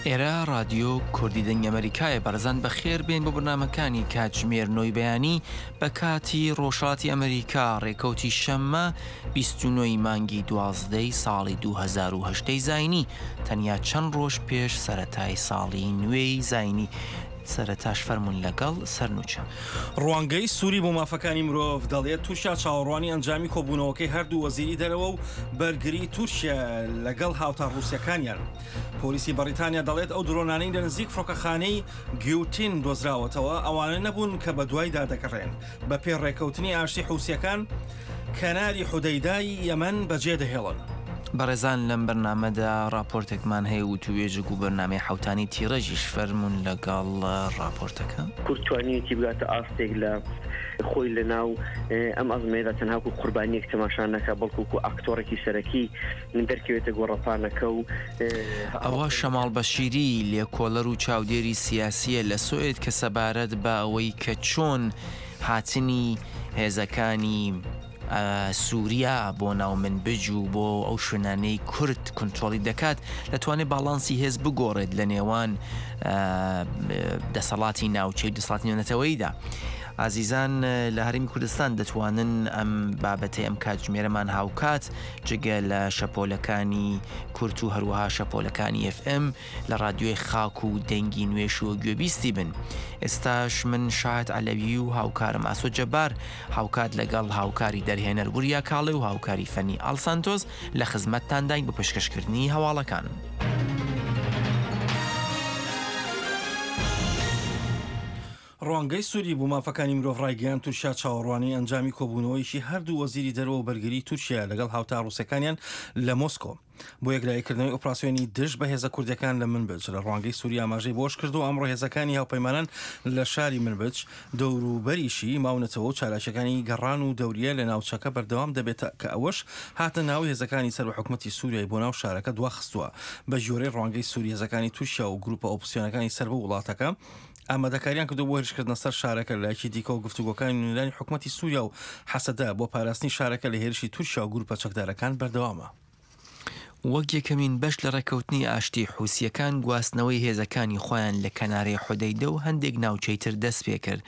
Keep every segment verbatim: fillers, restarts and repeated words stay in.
ئێرە ڕادیۆ کوردی دەنگی ئەمەریکایە. بەڕێزان بەخێر بێن بۆ بەرنامەکانی کاتژمێر نۆی بەیانی بە کاتی ڕۆژهەڵاتی ئەمریکا، ڕێکەوتی شەممە بیست و نۆ ی مانگی دوازدەی ساڵی دوو هەزار و هەژدە ی زاینی، تەنیا چەند ڕۆژ پێش سەرەتای ساڵی نوێی زاینی. سەرەتاش فەرموون لەگەڵ سەرنوچە. ڕوانگەی سوری بۆ مافەکانی مرۆڤ دەڵێت تورکیا چاوەڕوانی ئەنجامی کۆبوونەوەکەی هەردوو وەزیری دەرەوە و بەرگری تورکیا لەگەڵ هاوتا ڕووسیەکانیان. پۆلیسی بەڕیتانیا دەڵێت ئەو درۆنانەی لە نزیک فڕۆکەخانەی گیوتین دۆزراوەتەوە ئەوانە نەبوون کە بەدوایدا دەگەڕێن. بەپێی ڕێککەوتنی ئاشتی حوسیەکان کەناری حودەیدای یەمەن بەجێدەهێڵن. بەڕێزان لەم بەرنامەدا ڕاپۆرتێکمان هەیە وتوێژێک و بەرنامەی حەوتانی تیڕێژیش فەرموون لەگەڵ ڕاپۆرتەکە. کورد توانیویەتی بگاتە ئاستێک لە خۆی لە ناو ئەم ئەزمەیەدا تەنها وەکو قوربانیەک تەماشا نەکا، بەڵکو وەکو ئاکتۆڕێکی سەرەکی دەرکەوێتە گۆڕەپانەکە و ئەوە شەماڵ بەشیری، لێکۆڵەر و چاودێری سیاسییە لە سوئد کە سەبارەت بە ئەوەی کە چۆن هاتنی هێزەکانی سووریا بۆ ناو منبج و بۆ ئەو شوێنانەی کورد کونترۆڵی دەکات دەتوانێت باڵانسی هێز بگۆڕێت لە نێوان دەسەڵاتی ناوچەی و دەسەڵاتی نێونەتەوەییدا. ئازیزان لە هەرێمی کوردستان دەتوانن ئەم بابەتەی ئەم کاتژمێرەمان هاوکات جگە لە شەپۆلەکانی کورت و هەروەها شەپۆلەکانی ئێف ئێم لە ڕادیۆی خاک و دەنگی نوێش و گوێبیستی بن. ئێستاش من شاهد عەلەوی و هاوکارم ئاسۆ جەبار هاوکات لەگەڵ هاوکاری دەرهێنەر وریا کاڵێ و هاوکاری فەنی ئاڵ سانتۆس لە خزمەتتانداین بۆ پێشکەشکردنی هەواڵەکان. ڕوانگەی سوری بۆ مافەکانی مرۆڤ ڕایگەیاند تورکیا چاوەڕوانی ئەنجامی کۆبوونەوەیەکی هەردوو وەزیری دەرەوە و بەرگری تورکیا لەگەڵ هاوتا ڕووسەکانیان لە مۆسکۆ بۆ یەکلاییکردنەوەی ئۆپراسیۆنی دژ بە هێزە کوردیەکان لە منبج. لە ڕوانگەی سوری ئاماژەی بۆش کردو ئەمڕۆ هێزەکانی هاوپەیمانان لە شاری منبج دەوروبەریشی ماونەتەوە و چالاکیەکانی گەڕان و دەوریە لە ناوچەکە بەردەوام دەبێت کە ئەوەش هاتە ناو هێزەکانی سەر بە حکومەتی سوریای بۆ ناو شارەکە دواخستووە. بە گوێرەی ڕوانگەی سوری هێزەکانی تورکیا و گروپە ئۆپۆزسیۆنەکانی سەر بە وڵاتەکە ئامادەکاریان کردو بۆ هێرشکردنە سەر شارەکە. لایەکی دیکەوە گفتوگۆکانی نوێنەرانی حکومەتی سووریا و حەسەدە بۆ پاراستنی شارەکە لە هێرشی تورکیا و گروپە چەکدارەکان بەردەوامە. وەک یەکەمین بەش لە ڕێککەوتنی ئاشتی، حوسییەکان گواستنەوەی هێزەکانی خۆیان لە کەنارەی حودەیدە و هەندێک ناوچەی تر دەست پێکرد.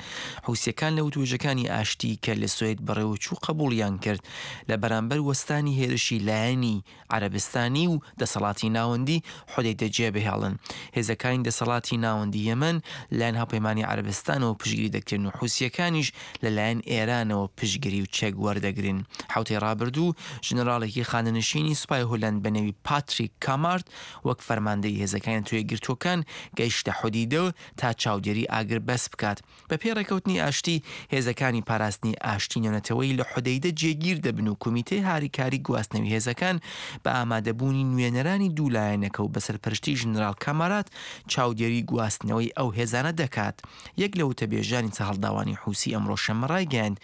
حوسییەکان لە وتوێژەکانی ئاشتی کە لە سوێد بەڕێوەچوو قبوڵیان کرد لە بەرامبەر وەستانی هێرشی لایەنی عەرەبستانی و دەسەڵاتی ناوەندی حودەیدە جێبهێڵن. هێزەکانی دەسەڵاتی ناوەندی یەمەن لایەن هاوپەیمانی عەرەبستانەوە پشتگیری دەکرێن و حوسییەکانیش لەلایەن ئێرانەوە پشتگیری و چەک وەردەگرن. حوتەی ڕابردوو ژنەراڵێکی خانەنشینی سوپای هولەند بە نێوی پاتریک کامارت وەک فەرماندەی هێزەکانی نەتەوە یەکگرتووەکان گەیشتە حودیدە تا چاودێری ئاگربەست بکات. بەپێی ڕێکەوتنی ئاشتی، هێزەکانی پاراستنی ئاشتی نێونەتەوەیی لە حودەیدە جێگیر دەبن و کۆمیتەی هاریکاری گواستنەوەی هێزەکان بە ئامادەبوونی نوێنەرانی دوو لایەنەکە و بە سەرپەرشتی ژنەراڵ کامارات چاودێری گواستنەوەی ئەو هێزانە دەکات. یەک لە وتەبێژانی سەرهەڵداوانی حوسی ئەمڕۆ شەممە ڕایگەیاند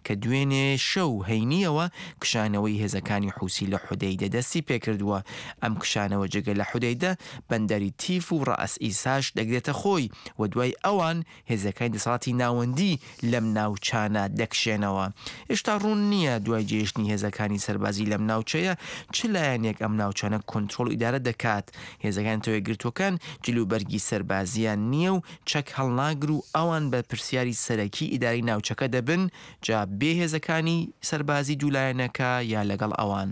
کە دوێنێ شەو هەینیەوە کشانەوەی هێزەکانی حوسی لە حودەیدە دەستی پێکردووە. ئەم کشانەوە جگە لە حودەیدە بەندەری تیف و ڕەئس ئیساش دەگرێتە خۆی و دوای ئەوان هێزەکانی دەسەڵاتی ناوەندی لەم ناوچانە دەکشێنەوە. هێشتا ڕوون نییە دوای جێهێشتنی هێزەکانی سەربازی لەم ناوچەیە چ لایەنێک ئەم ناوچانە کۆنترۆڵ و ئیدارە دەکات. هێزەکانی نەتەوە یەکگرتووەکان جلوبەرگی سەربازیان نییە و چەک هەڵناگر و ئەوان بەرپرسیاری سەرەکی ئیدارەی ناوچەکە دەبن، جا بێ هێزەکانی سەربازی دوو لایەنەکە یا لەگەڵ ئەوان.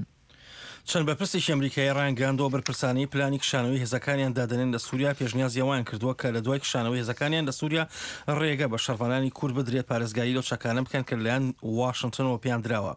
چەند بەرپرسێکی ئەمریکایی ڕایانگەیاندووە بەرپرسانەی پلانی کشانەوەی هێزەکانیان دادەنێن لە سووریا پێشنیازی ئەوەیان کردووە کە لە دوای کشانەوەی هێزەکانیان لە سووریا ڕێگە بە شەڕڤانانی کورد بدرێت پارێزگاری لەو چەکانە بکەن کە لەلایەن واشنتنەوە پێیان دراوە.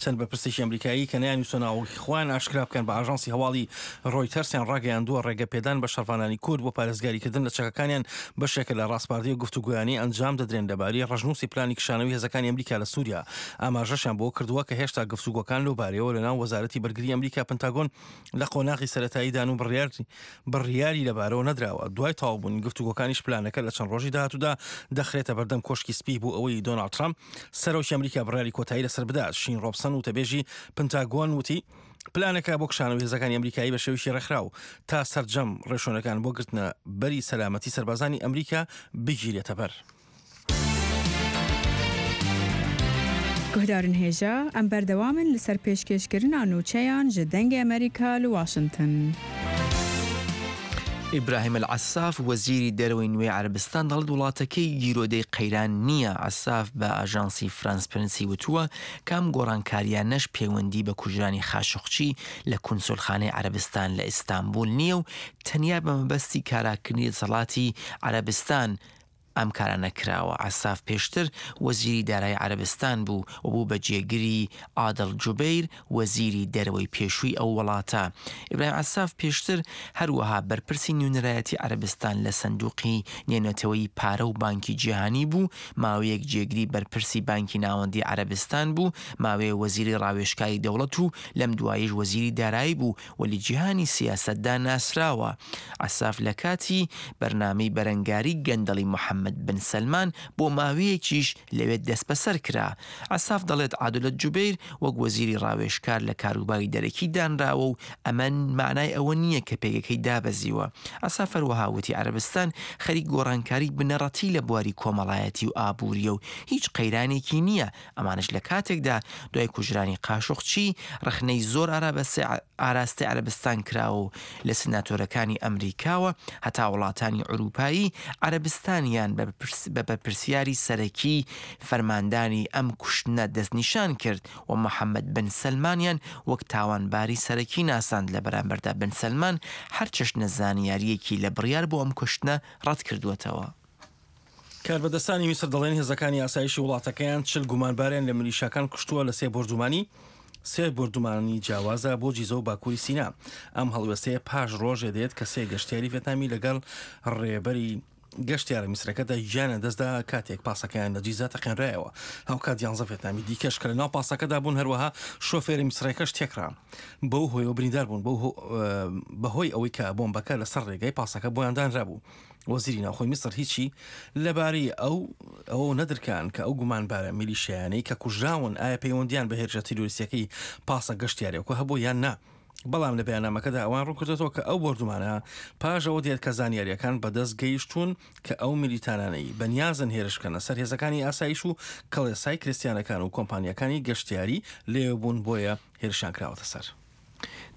چەند بەرپرسێکی ئەمریکایی کە نەیانویستوە ناوەکی خۆیان ئاشکرا بکەن بە ئاژانسی هەواڵی ڕۆیتەرسیان ڕاگەیاندووە ڕێگە پێدان بە شەڕڤانانی کورد بۆ پارێزگاریکردن لە چەکەکانیان بەشێکە لە ڕاسپاردەی و گفتوگۆیانەی ئەنجام دەدرێن لەبارەی ڕەشنووسی پلانی کشانەوەی هێزەکانی ئەمریکا لە سووریا. ئاماژەشیان بەوە کردووە کە هێشتا گفتوگۆکان لەو بارەیەوە لەناو وەزارەتی بەرگری ئەمریکا پنتاگۆن لە قۆناغی سەرەتاییدان و بڕیار بڕیاری لەبارەوە نەدراوە. دوای تەواوبوونی گفتوگۆکانیش پلانەکە لە چەند ڕۆژی داهاتوودا دەخرێتە بەردەم کۆشکی سپی بۆ ئەوەی دۆناڵد ترامپ سەرۆکی ئەمریکا بڕیاری کۆتایی لەسەر بدات. شین ڕۆبسن وتەبێژی پنتاگۆن وتی پلانەکە بۆ کشانەوەی هێزەکانی ئەمریکایی بە شێوەیەکی ڕێکخراو تا سەرجەم ڕێوشوێنەکان بۆ گرتنە بەری سەلامەتی سەربازانی ئەمریکا بگیرێتە بەر. گوهدارن هێژا ئەم بەردەوامن لەسەر پێشکێشکردنا نوچەیان ji دەنگê Amerîka li Washington. ئیبراهیم ئەلعەساف وەزیری دەرەوەی نوێی عەرەبستان دەڵێت وڵاتەکەی گیرۆدەی قەیران نییە. عەساف بە ئاژانسی فرانس پرنسی وتووە کە ئەم گۆڕانکاریانەش پەیوەندی بە کوژرانی خاشقچی لە کونسولخانەی عەرەبستان لە ئیستانبول نییە و تەنیا بە مەبەستی کاراکردنی دەسەڵاتی عەرەبستان ئەم کارانە کراوە. عەساف پێشتر وەزیری دارایی عەرەبستان بوو و بوو بە جێگری عادڵ جوبەیر وەزیری دەرەوەی پێشووی ئەو وڵاتە. ئیبراهیم عەساف پێشتر هەروەها بەرپرسی نوێنەرایەتی عەرەبستان لە سندوقی نێونەتەوەیی پارە و بانکی جیهانی بوو، ماوەیەک جێگری بەرپرسی بانکی ناوەندی عەرەبستان بوو، ماوەیە وەزیری ڕاوێژکاری دەوڵەت و لەم دواییش وەزیری دارایی بوو و لە جیهانی سیاسەتدا ناسراوە. عەساف لە کاتی بەرنامەی بەرەنگاری گەندەڵی محەممەد بن سەلمان بۆ ماوەیەکیش لەوێ دەستبەسەر کرا. عەساف دەڵێت عادلە جوبەیر وەک وەزیری ڕاوێژکار لە کاروباری دەرەکی دانراوە و ئەمە معنای ئەوە نییە کە پێگەکەی دابەزیوە. عەساف هەروەها وتی عەرەبستان خەریک گۆڕانکاری بنەڕەتی لە بواری کۆمەڵایەتی و ئابووریە و هیچ قەیرانێکی نییە. ئەمانش لە کاتێکدا دوای کوژرانی قاشقچی ڕەخنەی زۆر ئاراستەی عەرەبستان کراوە و لە سناتۆرەکانی ئەمریکاوە هەتا وڵاتانی ئەوروپایی عەرەبستانیان بە بەرپرسیاری سەرەکی فەرماندانی ئەم کوشتنە دەستنیشان کرد و محەممەد بن سەلمانیان وەک تاوانباری سەرەکی ناساند. لە بەرامبەردا بن سەلمان هەر چەشنە زانیاریەکی لە بڕیار بۆ ئەم کوشتنە ڕەت کردووەتەوە. کاربەدەستانی میسر دەڵێن هێزەکانی ئاسایشی وڵاتەکەیان چل گومانباریان لە میلیشاکان کوشتووە لە سێ بۆردومانی سێ بۆردومانی جیاوازە بۆ جیزە و باکووری سینا. ئەم هەڵوێستەیە پاش ڕۆژێ دێت کە سێ گەشتیاری ڤێتنامی لەگەڵ ڕێبەری گەشتیارە میسرەکەدا گیانیان دەستدا کاتێک پاسەکەیان لە جیزە تەقێنرایەوە. هاوکات یانزە ڤێتنامی دیکەش کە لەناو پاسەکەدا بوون، هەروەها شۆفێری میسرەکەش تێکرا بەو هۆیەوە بریندار بوون بەهۆی ئەوەی کە بۆمبەکە لەسەر ڕێگای پاسەکە بۆیان دانرابوو. وەزیری ناوخۆی میسر هیچی لەبارەی ئەو ئەوە نەدرکان کە ئەو گومانبارە میلیشیانەی کە کوژراون ئایا پەیوەندیان بە هێرشە تیرۆریستیەکەی پاسە گەشتیارێکەوە هەبوو یان نا. بەڵام لە بەیاننامەکەدا ئەوان ڕوونکردێتەوە کە ئەو بۆردومانە پاش ئەوە دێت کە زانیاریەکان بەدەست گەیشتوون کە ئەو میلیتانانەی بەنیازن هێرش بکەنە سەر هێزەکانی ئاسایش و کڵێسای کریستیانەکان و کۆمپانیەکانی گەشتیاری لێوە بوون، بۆیە هێرشیان کراوەتە سەر.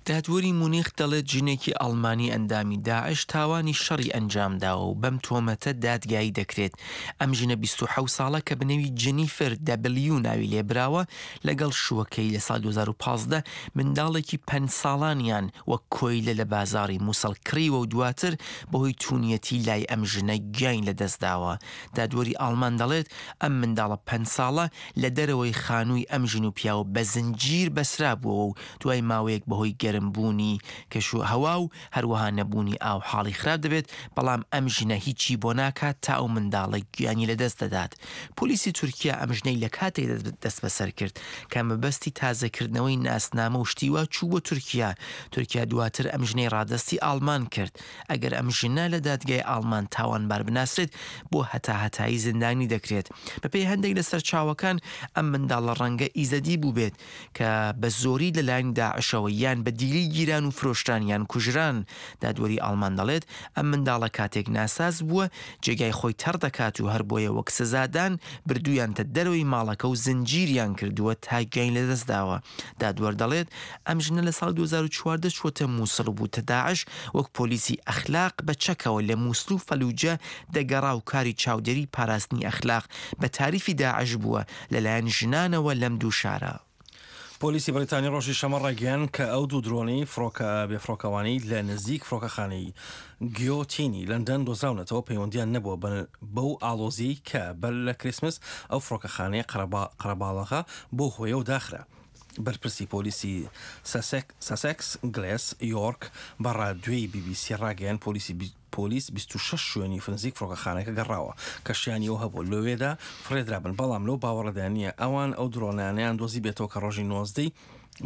دادوەری مونیخ دەڵێت ژنێکی ئەڵمانی ئەندامی داعش تاوانی شەڕی ئەنجامداوە و بەم تۆمەتە دادگایی دەکرێت. ئەم ژنە بیست و حەوت ساڵە کە بەنێوی جنیفەر دەبلیو ناوی لێبراوە لەگەڵ شووەکەی لە ساڵ دوو هەزار و پازدە منداڵێکی پەنج ساڵانیان وەک کۆیلە لە بازاڕی مووسڵ کڕیوە و دواتر بەهۆی تونیەتی لای ئەم ژنە گیانی لەدەستداوە. دادوەری ئاڵمان دەڵێت ئەم منداڵە پەنج ساڵە لە دەرەوەی خانووی ئەم ژن و پیاوە بە زنجیر بەسرا بووەوە و دوای ماوەیەک بەهۆی گەرمبوونی کەش و هەوا و هەروەها نەبوونی ئاو حاڵی خراپ دەبێت، بەڵام ئەم ژنە هیچی بۆ ناکات تا ئەو منداڵە گیانی لەدەست دەدات. پۆلیسی تورکیا ئەم ژنەی لە کاتێک دەست بەسەر کرد کە مەبەستی تازەکردنەوەی ناسنامە و شتیوا چوو بۆ تورکیا. تورکیا دواتر ئەم ژنەی ڕادەستی ئاڵمان کرد. ئەگەر ئەم ژنە لە دادگای ئاڵمان تاوانبار بناسرێت بۆ هەتاهەتایی زیندانی دەکرێت. بەپێی هەندێک لە سەرچاوەکان ئەم منداڵە ڕەنگە ئیزەدی بوو بێت کە بە زۆری لەلایەن داعشەوە یان بە دیلی گیران و فرۆشتان یان کوژران. دادوەری ئاڵمان دەڵێت ئەم منداڵە کاتێک ناساز بووە جێگای خۆی تەڕ دەکات و هەر بۆیە وەک سزادان بردوویانتە دەرەوەی ماڵەکە و زنجیریان کردووە تا گیانی لەدەستداوە. دادوەر دەڵێت ئەم ژنە لە ساڵ دوو هەزار و چواردە چووەتە مووسڵ و بووتە داعش وەک پۆلیسی ئەخلاق بە چەکەوە لە مووسڵ و فەلوجە دەگەڕا و کاری چاودێری پاراستنی ئەخلاق بە تاریفی داعش بووە لەلایەن ژنانەوە لەم دوو شارە. پۆلیسی بەریتانی ڕۆژی شەمە ڕایگەیاند کە ئەو دوو درۆنەی فڕۆکە بێفڕۆکەوانەی لە نزیک فڕۆکەخانەی گیۆتینی لەندەن دۆزراونەتەوە پەیوەندیان نەبووە بەو ئاڵۆزیەی کە بەر لە کریسمس ئەو فڕۆکەخانەیە قەرەباڵغە بۆ هۆیەوە داخرا. بەرپرسی پۆلیسی ساسێکس گلێس یۆرک بە ڕادیۆی بی بی سی ڕاگەیاند پۆلیسی پۆلیس بیست و شەش شوێنی نزیک فڕۆکەخانەکە گەڕاوە کە شیانی ئەو هەبوو لەوێدا فڕێدرابن، بەڵام لەو باوەڕەدا نییە ئەوان ئەو درۆنانیان دۆزی بێتەوە کە ڕۆژی نۆزدەی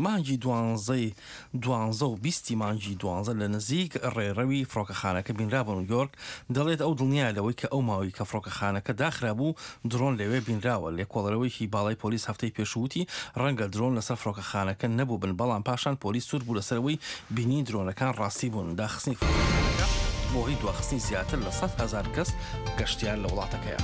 مانگی دوانزەی دوانزە و بیستی مانگی دوانزە لە نزیک ڕێڕەوی فڕۆکەخانەکە بینرابوون. یۆرک دەڵێت ئەو دڵنیایە لەوەی کە ئەو ماوەی کە فڕۆکەخانەکە داخرابوو درۆن لەوێ بینراوە. لێکۆڵەرەوەیەکی باڵای پۆلیس هەفتەی پێشووتی ڕەنگە درۆن لەسەر فڕۆکەخانەکە نەبوو بن، بەڵام پاشان پۆلیس سوور بوو لەسەرەوەی بینی درۆنەکان ڕاستی بوون. داخستنی فڕۆکەخانەکە بۆ هی دواخستنی زیاتر لە سەد هەزار کەس گەشتیار لە وڵاتەکەیە.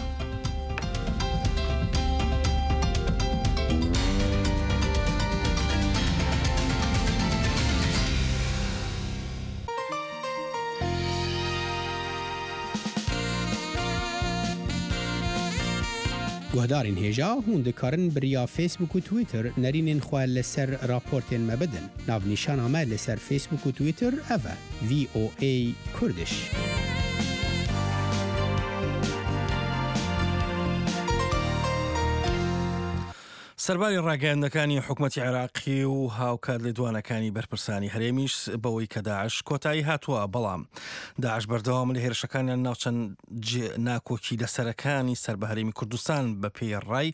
Guhdarên hêja hûn dikarin bi riya Facebook û Twitter nerînên xwe li ser raportên me bidin. Navnîşana me li ser Facebook û Twitter ev e: V O A Kurdish. سەرباری ڕاگەیاندنەکانی حکومەتی عێراقی و هاوکات لێدوانەکانی بەرپرسانی هەرێمیش بەوەی کە داعش کۆتایی هاتووە، بەڵام داعش بەردەوام لە هێرشەکانیان ناو چەند ناکۆکی لەسەرەکانی سەر بە هەرێمی کوردستان. بە پێی ڕای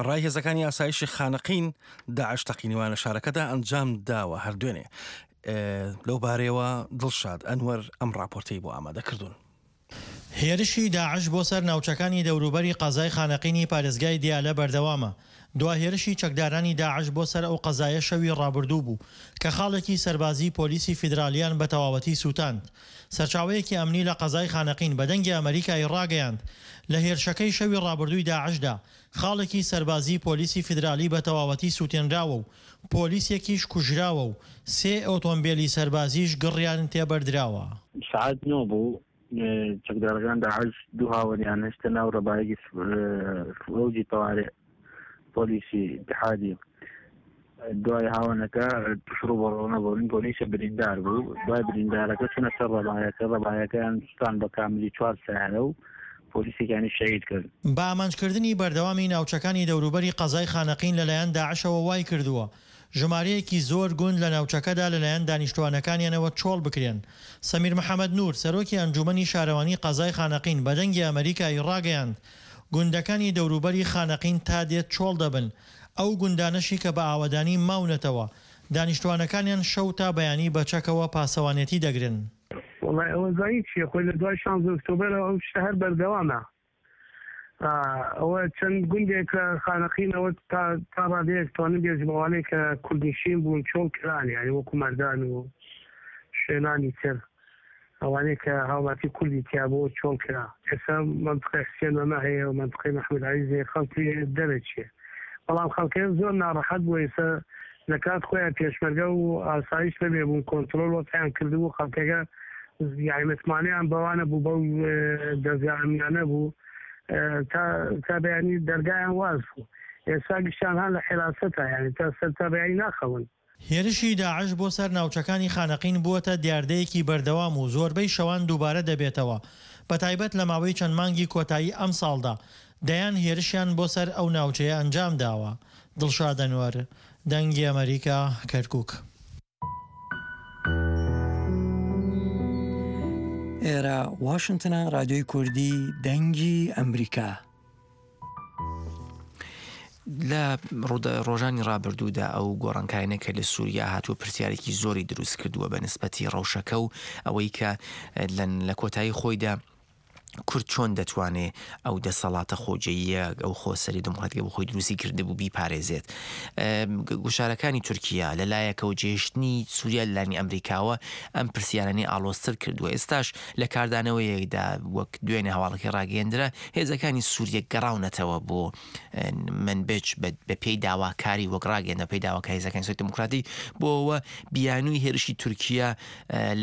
ڕای هێزەکانی ئاسایشی خانەقین، داعش تەقینەوە لە شارەکەدا ئەنجام داوە هەر دوێنێ. لەو بارەیەوە دڵشاد ئەنوەر ئەم ڕاپۆرتەی بۆ ئامادە کردوون. هێرشی داعش بۆ سەر ناوچەکانی دەوروبەری قەزای خانەقینی پارێزگای دیالە بەردەوامە. دوا هێرشی چەکدارانی داعش بۆ سەر ئەو قەزایە شەوی ڕابردوو بوو کە خاڵێکی سەربازی پۆلیسی فیدرالیان بە تەواوەتی سووتاند. سەرچاوەیەکی ئەمنی لە قەزای خانەقین بە دەنگی ئەمریکای ڕاگەیاند، لە هێرشەکەی شەوی ڕابردووی داعشدا خاڵێکی سەربازی پۆلیسی فیدرالی بە تەواوەتی سووتێنراوە و پۆلیسێکیش کوژراوە و سێ ئۆتۆمبیلی سەربازیش گڕیان تێبەردراوە. سعات نۆ بوو، چەکدارەکان داعش دوو هاوەنیان هێشتە ناو ڕەبایەکی فەوجی تەوارئ پۆلیسی ئیتحادی. دوای هاوەنەکە توش ڕووبەڕوو نەبوون، پۆلیسە بریندار بوو. دوای بریندارەکە چونە سەر ڕەبایەکە، ڕەبایەکەیان سوتان بە کاملی چوار سیارە و پۆلیسێکیانی شەهید کرد. بە ئامانجکردنی بەردەوامی ناوچەکانی دەوروبەری قەزای خانەقین لەلایەن داعشەوە وای کردووە ژمارەیەکی زۆر گوند لە ناوچەکەدا لەلایەن دانیشتوانەکانیانەوە چۆڵ بکرێن. سەمیر محەمەد نور، سەرۆکی ئەنجومەنی شارەوانی قەزای خانەقین، بە دەنگی ئەمەریکای ڕاگەیاند، گوندەکانی دەوروبەری خانەقین تا دێت چۆڵ دەبن، ئەو گوندانەشی کە بە ئاوەدانی ماونەتەوە دانیشتوانەکانیان شەو تا بەیانی بە چەکەوە پاسەوانێتی دەگرن. وەڵای ئەوە زانی چییە، خۆی لە دوای شانزە ئۆکتۆبەرەوە ئەو شتە هەر بەردەوامە. ئەوە چەند گوندێک لە خانەقینەوە تا تا ڕادەیەک توانم بێژم ئەوانەی کە کوردنشین بوون چۆڵ کران، یانی وەکو مەردان و شوێنانی تر ئەوانەی کە هاوڵاتی کوردی تیا بوو چۆڵ کرا. ئێستا مەنتقەی حسێن مەمە هەیە و مەنتقەی مەحمود عەزیز هەیە، خەڵک لێ دەرەچێ، بەڵام خەڵکەکە زۆر ناڕەحەت بووە. ئێستا لە کات خۆیان پێشمەرگە و ئاسایش نەبێ بوون کۆنترۆڵ وەزعیان کردبوو، خەڵکەکە یانی متمانەیان بەوانە بوو، بەو دەزگا ئەمنیانە بوو، تا تا بەیانی دەرگایان واز بوو. ئێستا گشتیان هان لە حیراسەتە، یانی تا سەر تا بەیانی ناخەون. هێرشی داعش بۆ سەر ناوچەکانی خانەقین بووەتە دیاردەیەکی بەردەوام و زۆربەی شەوان دووبارە دەبێتەوە، بەتایبەت لە ماوەی چەند مانگی کۆتایی ئەمساڵدا دەیان هێرشیان بۆ سەر ئەو ناوچەیە ئەنجام داوە. دڵشاد ئەنوەر، دەنگی ئەمەریکا، کەرکوک. ئێرە واشنتنە، رادیۆی کوردی دەنگی ئەمریکا. لە ڕۆژانی ڕابردوودا ئەو گۆڕانکاریانە کە لە سووریا هاتووە پرسیارێکی زۆری دروست کردووە بە نسبەتی ڕەوشەکە و ئەوەی کە لە کۆتایی خۆیدا کورد چۆن دەتوانێ ئەو دەسەڵاتە خۆجێیە، ئەو خۆسەری دموکراتیکە بۆ خۆی دروستی کردبوو بیپارێزێت. گوشارەکانی تورکیا لەلایەکەوە، جێهێشتنی سووریا لەلایەنی ئەمریکاوە ئەم پرسیارانەی ئاڵۆزتر کردووە. ئێستاش لە کاردانەوەیەکدا وەک دوێنێ هەواڵەکەی ڕاگەیەندرا، هێزەکانی سووریە گەڕاونەتەوە بۆ منبج بە پێی داواکاری، وەک ڕاگەیەندە پێی داواکاری هێزەکانی سووریای دموکراتی بۆەوە بیانووی هێرشی تورکیا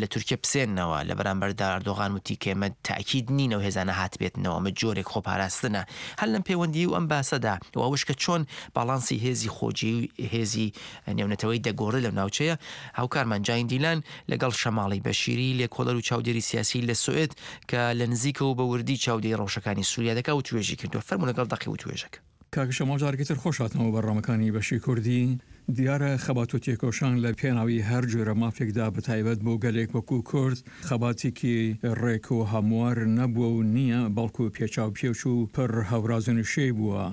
لە تورکیا بسێننەوە. لە بەرامبەردا ئەردۆغان وتی کە ئێمە تاکید نینەوە هێزانە هاتبێتنەوە، ئەمە جۆرێک خۆپاراستنە. هەر لەم پەیوەندی و ئەم باسەدا و ئەوش کە چۆن باڵانسی هێزی خۆجێی و هێزی نێونەتەوەی دەگۆڕێت لەو ناوچەیە، هاوکارمان جاین دیلان لەگەڵ شەماڵی بەشیری لێکۆڵەر و چاودێری سیاسی لە سوئد کە لە نزیکەوە بە وردی چاودێری ڕەوشەکانی سووریا دەکا و توێژی کردووە. فەرموو لەگەڵ دەقی و توێژەکە. کاک شەماڵ، جارێکی تر خۆش هاتنەوە بەرنامەکانی بەشی کوردی. دیارە خەبات و تێکۆشان لە پێناوی هەر جۆرە مافێکدا بە تایبەت بۆ گەلێک وەکو کورد خەباتێکی ڕێک و هەموار نەبووە و نییە، بەڵکو پێچاو پێچ و پڕ هەوراز و نشێی بووە.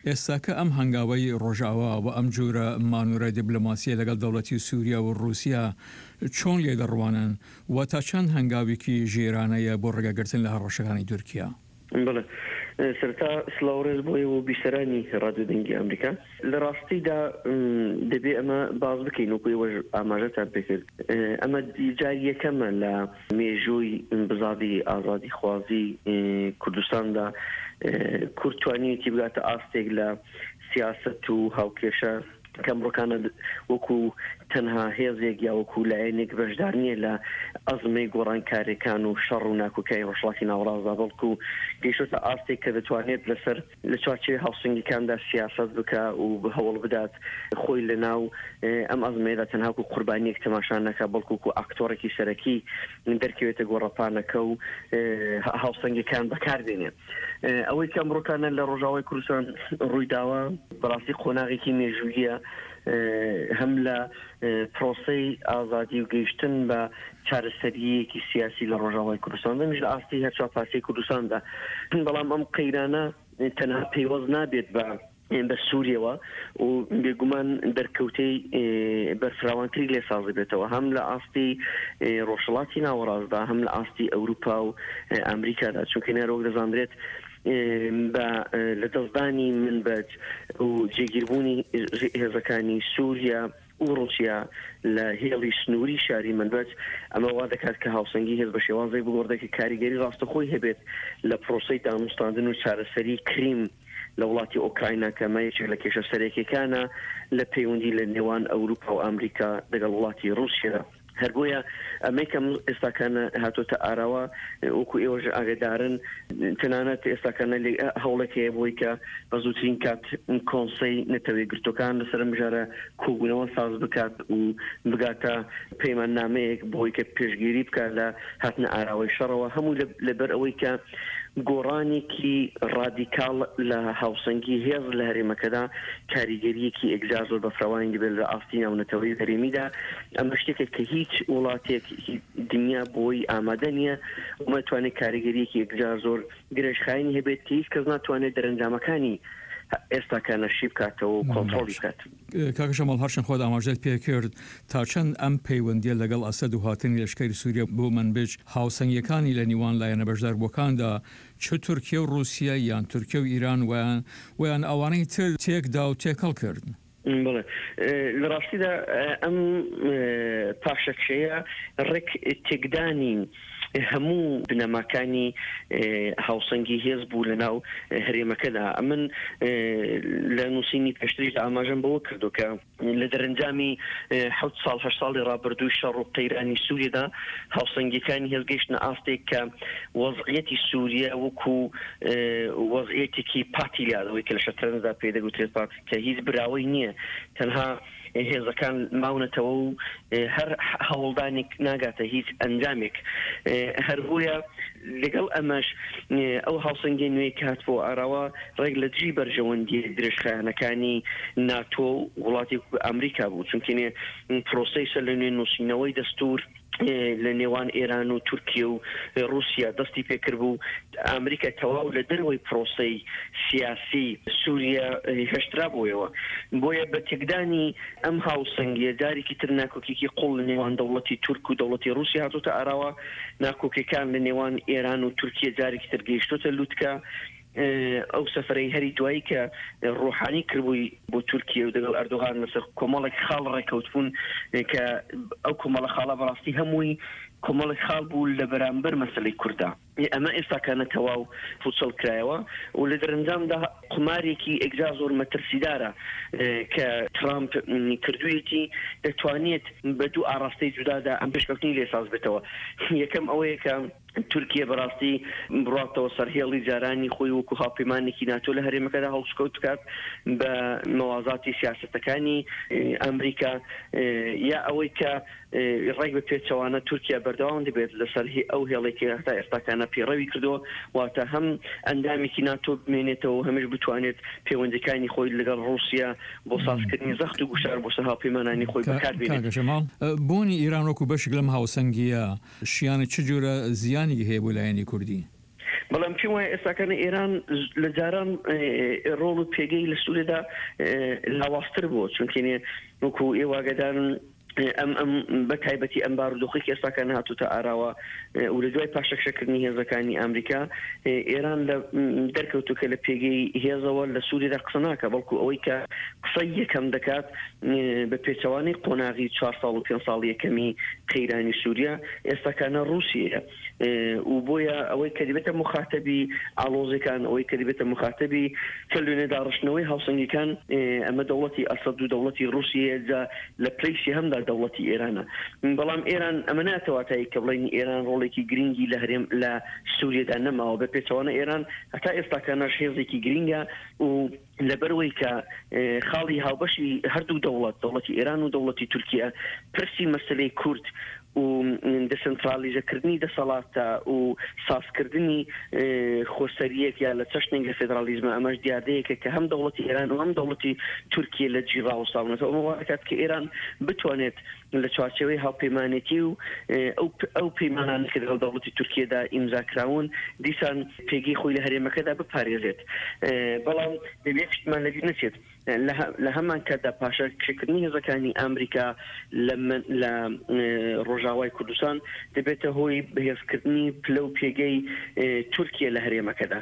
ئێستاکە ئەم هەنگاوەی ڕۆژاوا و ئەم جۆرە مانۆرە دیبلۆماسیە لەگەڵ دەوڵەتی سووریا و ڕووسیا چۆن لێ دەڕوانن و تا چەند هەنگاوێکی ژیرانەیە بۆ ڕێگەگرتن لە هەڕەشەکانی تورکیا؟ بەڵێ، سەرەتا سڵاو ڕێز بۆ ئێوە و بیسەرانی ڕادیۆ دەنگی ئەمریکا. لە ڕاستیدا دەبێ ئەمە باس بکەین، وەکو ئێوەش ئاماژەتان پێکرد، ئەمە جاری یەکەمە لە مێژووی بزاڤی ئازادیخوازی کوردستاندا کورد توانیویەتی بگاتە ئاستێک لە سیاسەت و هاوکێشە کە ئەمڕۆکانە وەکو تەنها هێزێک یا وەکو لایەنێک بەشدار نییە لە ئەزمەی گۆڕانکاریەکان و شەڕ و ناکۆکیای ڕۆژهەڵاتی ناوەڕاستدا، بەڵکو گەیشتۆتە ئاستێک کە دەتوانێت لەسەر لە چوارچێوەی هاوسەنگیەکاندا سیاسەت بکا و هەوڵ بدات خۆی لە ناو ئەم ئەزمەیەدا تەنها وەکو قوربانیەک تەماشا نەکا، بەڵکو وەکو ئاکتۆڕێکی سەرەکی دەرکەوێتە گۆڕەپانەکە و هاوسەنگیەکان بەکار بێنێ. ئەوەی کە ئەمڕۆکانە لە ڕۆژاوای کوردستان ڕوویداوە بەڕاستی قۆناغێکی مێژوویە، هەم لە پرۆسەی ئازادی و گەیشتن بە چارەسەریەکی سیاسی لە ڕۆژاوای کوردستان، هەمیش لە ئاستی هەر چوار پارچەی کوردستاندا. بەڵام ئەم قەیرانە تەنها پەیوەست نابێت بە بە سووریەوە و بێگومان دەرکەوتەی بەرفراوانتری لێ ساز دەبێتەوە، هەم لە ئاستی ڕۆژهەڵاتی ناوەڕاستدا، هەم لە ئاستی ئەوروپا و ئەمریکادا، چونکە نەرۆک دەزانرێت بە لەدەستدانی منبەج و جێگیربوونی هێزەکانی سووریا و ڕووسیا لە هێڵی سنووری شاری منبەج، ئەمە وا دەکات کە هاوسەنگی هێز بە شێوازێک بگۆڕدرێت کە کاریگەری ڕاستەوخۆی هەبێت لە پرۆسەی دانوستاندن و چارەسەری کریم لە وڵاتی ئۆکراینا، کە ئەمە یەکێک لە کێشە سەرەکیەکانە لە پەیوەندی لە نێوان ئەوروپا و ئەمریکا دەگەڵ وڵاتی ڕووسیادا. هەر بۆیە ئەمەی کە ئێستاکانە هاتۆتە ئاراوە وەکو ئێوەش ئاگدارن، تەنانەت ئێستاکانە هەوڵێک هەیە بۆی کە بە زووترین کات کۆنسەی نەتەوە یەکگرتووەکان لەسەر ئەم مژارە کۆبوونەوە ساز بکات و بگاتە پەیماننامەیەک بۆی کە پێشگیری بکات لە هاتنە ئاراوەی شەڕەوە، هەموو لەبەر ئەوەی کە گۆڕانێکی ڕادیکاڵ لە هاوسەنگی هێز لە هەرێمەکەدا کاریگەرییەکی ئێگجار زۆر بەفراوانی دەبێت لە ئاستی ناونەتەوەیی و هەرێمیدا. ئەمە شتێکە کە هیچ وڵاتێک دنیا بۆی ئامادە نییە و ناتوانێت کاریگەرییەکی ئێگجار زۆر درێژخایەنی هەبێت کە هیچ کەس ناتوانێت دەرەنجامەکانی ئێستاکانە شی بکاتەوە و کۆنتڕۆڵی بکات. کاکە شەماڵ، هەرچەند خۆت ئاماژەت پێ کرد، تا چەند ئەم پەیوەندییە لەگەڵ ئەسەد و هاتنی لەشکری سووریە بۆ مەنبج، هاوسەنگییەکانی لە نیوان لایەنە بەشداربووەکاندا، چ تورکیە و ڕووسیە یان تورکیە و ئیران ویان ویان ئەوانەی تر تێک دا و تێکەڵ کرد؟ بەڵێ، لە ڕاستیدا ئەم پاشەکشەیە ڕێک تێکدانی هەموو بنەماکانی هاوسەنگی هێز بوو لە ناو هەرێمەکەدا. ئەمن لە نووسینی پێشتریشدا ئاماژەم بەوە کردو کە لە دەرەنجامی حەوت ساڵ هەشت ساڵی ڕابردووی شەڕ و قەیرانی سووریەدا هاوسەنگیەکانی هێز گەیشتنە ئاستێک کە وەزعیەتی سووریە وەکو وەزعیەتێکی پاتی لادەوەی کە لە شەترەنجدا پێی دەگوترێت پات کە هیچ براوەی نییە، تەنها هێزەکان ماونەتەوە و هەر هەوڵدانێک ناگاتە هیچ ئەنجامێک. هەر بۆیە لەگەڵ ئەمەش ئەو هاوسەنگیە نوێی کە هاتبووە ئاراوە ڕێک لە دژی بەرژەوەندییە درێژخایەنەکانی ناتۆ و وڵاتی ئەمریکا بوو، چونکێ پرۆسەی سەر لە نوێ نووسینەوەی دەستوور لە نێوان ئێران و تورکیە و ڕووسیا دەستی پێکردبوو، ئامریکا تەواو لە دەرەوەی پرۆسەی سیاسی سووریە هێشترابوویەوە. بۆیە بە تێکدانی ئەم هاوسەنگیە جارێکی تر ناکۆکیکی قوڵ لە نێوان دەوڵەتی تورک و دەوڵەتی ڕووسیا هاتۆتە ئاراوە، ناکۆکیەکان لە نێوان ئێران و تورکیە جارێکی تر گەیشتۆتە لوتکە. ئەو سەفەرەی هەری دوایی کە ڕۆحانی کردبووی بۆ تورکیە و دەگەڵ ئەردۆغان لەسەر کۆمەڵێک خاڵ ڕێکەوتبوون کە ئەو کۆمەڵە خاڵە بەڕاستی هەمووی کۆمەڵێک خاڵ بوو لە بەرامبەر مەسەلەی کورددا. ئەمە ئێستاکانە تەواو پوچەڵ کرایەوە و لە دەرەنجامدا قومارێکی ئێگجار زۆر مەترسیدارە کە ترامپ کردوویەتی، دەتوانێت بە دوو ئاڕاستەی جودادا ئەم پێشکەوتنی لێ ساز بێتەوە. یەکەم ئەوەیە کە تورکیە بەڕاستی بڕاتەوە سەر هێڵی جارانی خۆی وەکو هاوپەیمانێکی ناتۆ لە هەرێمەکەدا هەڵسوکەوت بکات بە مەوازاتی سیاسەتەکانی ئەمریکا، یا ئەوەی کە ڕێک بە پێچەوانە تورکیا بەردەوام دەبێت لەسەر ئەو هێڵێک کە هەتا ئێستاکانە پەیڕەوی کردووە، واتە هەم ئەندامێکی ناتۆ بمێنێتەوە و هەمیش بتوانێت پەیوەندیەکانی خۆی لەگەڵ ڕووسیا بۆ سازکردنی زەخت و گوشار بۆ سەر هاوپەیمانانی خۆی بەکار بێنێت. کاکە شەماڵ، بوونی ئیران وەکو بەشێک لەم هاوسەنگییە شیانی چ جۆرە زیانێکی هەیە بۆ لایەنی کوردی؟ بەڵام پێم وایە ئێستاکانە ئێران لە جاران ڕۆڵ و پێگەی لە سووریادا لاوازتر بووە، چونکێ وەکو ئێوە ئاگادارن ئەم ئەم بە تایبەتی ئەم بارودۆخی کە ئێستاکە نهاتوتە ئاراوە و لە دوای پاشەکشەکردنی هێزەکانی ئەمریکا، ئێران لە دەرکەوتو کە لە پێگەی هێزەوە لە سووریدا قسە ناکە، بەڵکو ئەوەی کە قسەی یەکەم دەکات بە پێچەوانەی قۆناغی چوار ساڵ و پێنج ساڵ یەکەمی قەیرانی سووریا ئێستاکانە ڕووسیەیە و بۆیە ئەوەی کە دەبێتە مخاتەبی ئاڵۆزەکان، ئەوەی کە دەبێتە مخاتەبی کە لێنێ داڕشتنەوەی هاوسەنگیەکان، ئەمە دەوڵەتی ئەسەد و دەوڵەتی ڕووسیە جا لە پلەی سێهەمدا دەوڵەتی ئێرانە. بەڵام ئێران ئەمە ناتەواتایی کە بڵێن ئێران ڕۆڵێکی گرنگی لە هەرێم لە سووریەدا نەماوە، بە پێچەوانە ئێران هەتا ئێستاکانەش هێزێکی گرنگە و لەبەرەوەی کە خاڵی هاوبەشی هەردوو دەوڵەت، دەوڵەتی ئێران و دەوڵەتی تورکیا، پرسی مەسلەی کورد و دەسەنترالیزەکردنی دەسەڵاتە و سازکردنی خۆسەریەک یا لە چەشنێک لە فێدرالیزمە، ئەمەش دیاردەیەکە کە هەم دەوڵەتی ئێران و هەم دەوڵەتی تورکیە لە جی ڕاوەستاونەتەوە. ئەمە وا دەکات کە ئێران بتوانێت لە چوارچێوەی هاوپەیمانێتی و ئەو ئەو پەیمانانە کە لەگەڵ دەوڵەتی تورکیەدا ئیمزا کراون دیسان پێگەی خۆی لە هەرێمەکەدا بپارێزێت. بەڵام دەبێت شتمان لەبیر نەچێت لە هەمان کاتدا پاشەکشەکردنی هێزەکانی ئەمریکا لە ڕۆژاوای کوردستان دەبێتە هۆی بەهێزکردنی پلە و پێگەی تورکیا لە هەرێمەکەدا.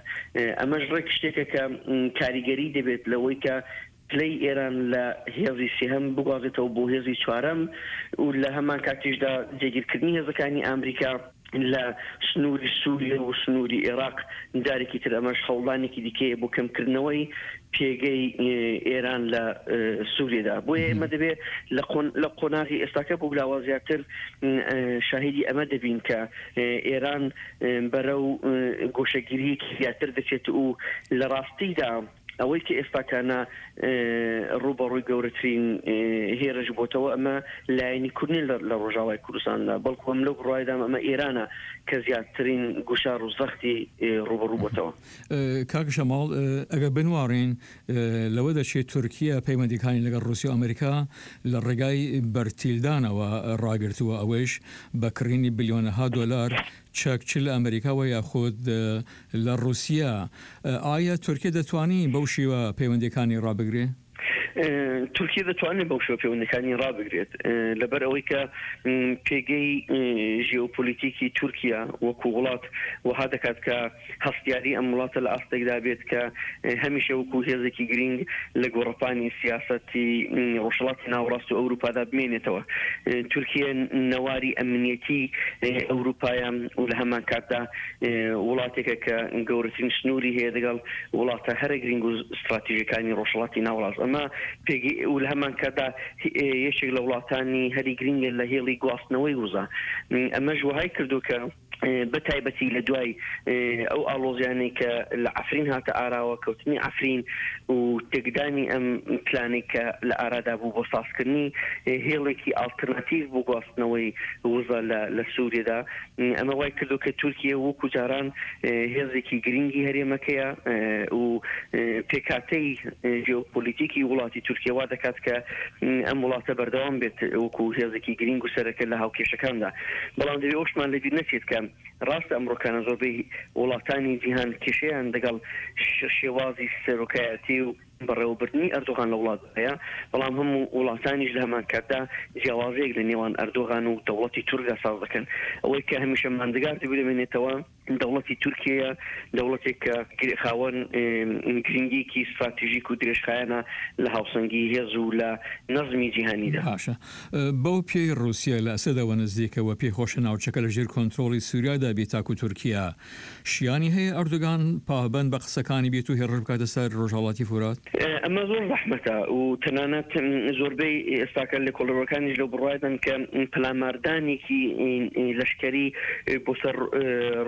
ئەمەش ڕێک شتێکە کە کاریگەری دەبێت لەوەی کە پلەی ئێران لە هێزی سێهەم بگوازێتەوە بۆ هێزی چوارەم و لە هەمان کاتیشدا جێگیرکردنی هێزەکانی ئەمریکا لە سنووری سووریە و سنووری عێراق جارێکی تر ئەمەش هەوڵدانێکی دیکەیە بۆ کەمکردنەوەی پێگەی ئێران لە سووریەدا. بۆیە ئێمە دەبێت لە قۆناغی ئێستاکە بۆ لاوە زیاتر شاهیدی ئەمە دەبین کە ئێران بەرەو گۆشەگیریەکی زیاتر دەچێت و لە ڕاستیدا ئەوەی کە ئێستاکانە ڕووبەڕووی گەورەترین هێرش بۆتەوە ئەمە لایەنی کورد نییە لە ڕۆژاوای کوردستاندا، بەڵکو ئەم لەو بڕوایدام ئەمە ئێرانە کە زیاترین گوشار و زەختی ڕووبەڕوو بۆتەوە. کاک شەماڵ، ئەگەر بنواڕین لەوە دەچێت تورکیا پەیوەندیەکانی لەگەڵ ڕووسیا و ئەمریکا لە ڕێگای بەرتیلدانەوە ڕاگرتووە، ئەوەیش بە کڕینی بلیۆنەها دۆلار چەک چ لە ئەمریکاوە یاخود لە ڕووسیا. ئایا تورکیا دەتوانی بەو شێوە پەیوەندیەکانی ڕابگرێ؟ تورکیا دەتوانێت بەو شێوە پەیوەندەکانی ڕابگرێت، لەبەر ئەوەی کە پێگەی ژیۆپۆلیتیکی تورکیا وەکو وڵات وەها دەکات کە هەستیاری ئەم وڵاتە لە ئاستێکدا بێت کە هەمیشە وەکو هێزێکی گرنگ لە گۆڕەپانی سیاسەتی ڕۆژهەڵاتی ناوەڕاست و ئەوروپادا بمێنێتەوە. تورکیا نەواری ئەمنیەتی ئەوروپایە و لە هەمان کاتدا وڵاتێکە کە گەورەترین سنووری هەیە لەگەڵ وڵاتە هەرە گرنگ و استراتیژەکانی ڕۆژهەڵاتی ناوەڕاست. ئەمە پێگەی و لە هەمان کاتدا یەکێک لە وڵاتانی هەری گرنگە لە هێڵی گواستنەوەی وزە. ئەمەش وەهای کردو کە بە تایبەتی لە دوای ئەو ئاڵۆزیانەی کە لە عەفرین هاتە ئاراوە، کەوتنی عەفرین و تێکدانی ئەم پلانەی کە لە ئارادا بوو بۆ سازکردنی هێڵێکی ئاڵترناتیڤ بۆ گواستنەوەی وزە لە سووریەدا، ئەمە وای کردو کە تورکیە وەکو جاران هێزێکی گرنگی هەرێمەکەیە و پێکهاتەی ژیۆپۆلیتیکی وڵاتی تورکیا وا دەکات کە ئەم وڵاتە بەردەوام بێت وەکو هێزێکی گرنگ و سەرەکە لە هاوکێشەکاندا. بەڵام دەبێت ئەوشمان لەبیر نەچێت کە ڕاستە ئەمڕۆکانە زۆربەی وڵاتانی جیهان کێشەیان دەگەڵ شێوازی سەرۆکایەتی و بەڕێوەبردنی ئەردۆغان لە وڵاتدا هەیە، بەڵام هەموو وڵاتانیش لە هەمان کاتدا جیاوازەیەک لە نێوان ئەردۆغان و دەوڵەتی تورکدا ساز دەکەن. ئەوەی کە هەمیشە ماندگار دەبێت دەمێنێتەوە دەوڵەتی تورکیەیە، دەوڵەتێک کە خاوەن گرنگیکی ستراتیژیک و درێژخایەنە لە هاوسەنگی هێز و لە نەزمی جیهانیدا. باشە بەو پێی ڕووسیا لە ئەسەدەوە نزیکە و پێی خۆشە ناوچەکە لە ژێر کۆنترۆڵی سووریادا بێت تاکو تورکیا، شیانی هەیە ئەردۆگان پابەند بە قسەکانی بێت و هێڕش بکاتە سەر ڕۆژهەڵاتی فورات؟ ئەمە زۆر زەحمەتە و تەنانەت زۆربەی ئێستاکە لێکۆڵەرەوەکانیش لەو بڕوایدان کە پەلاماردانێکی لەشکەری بۆ سەر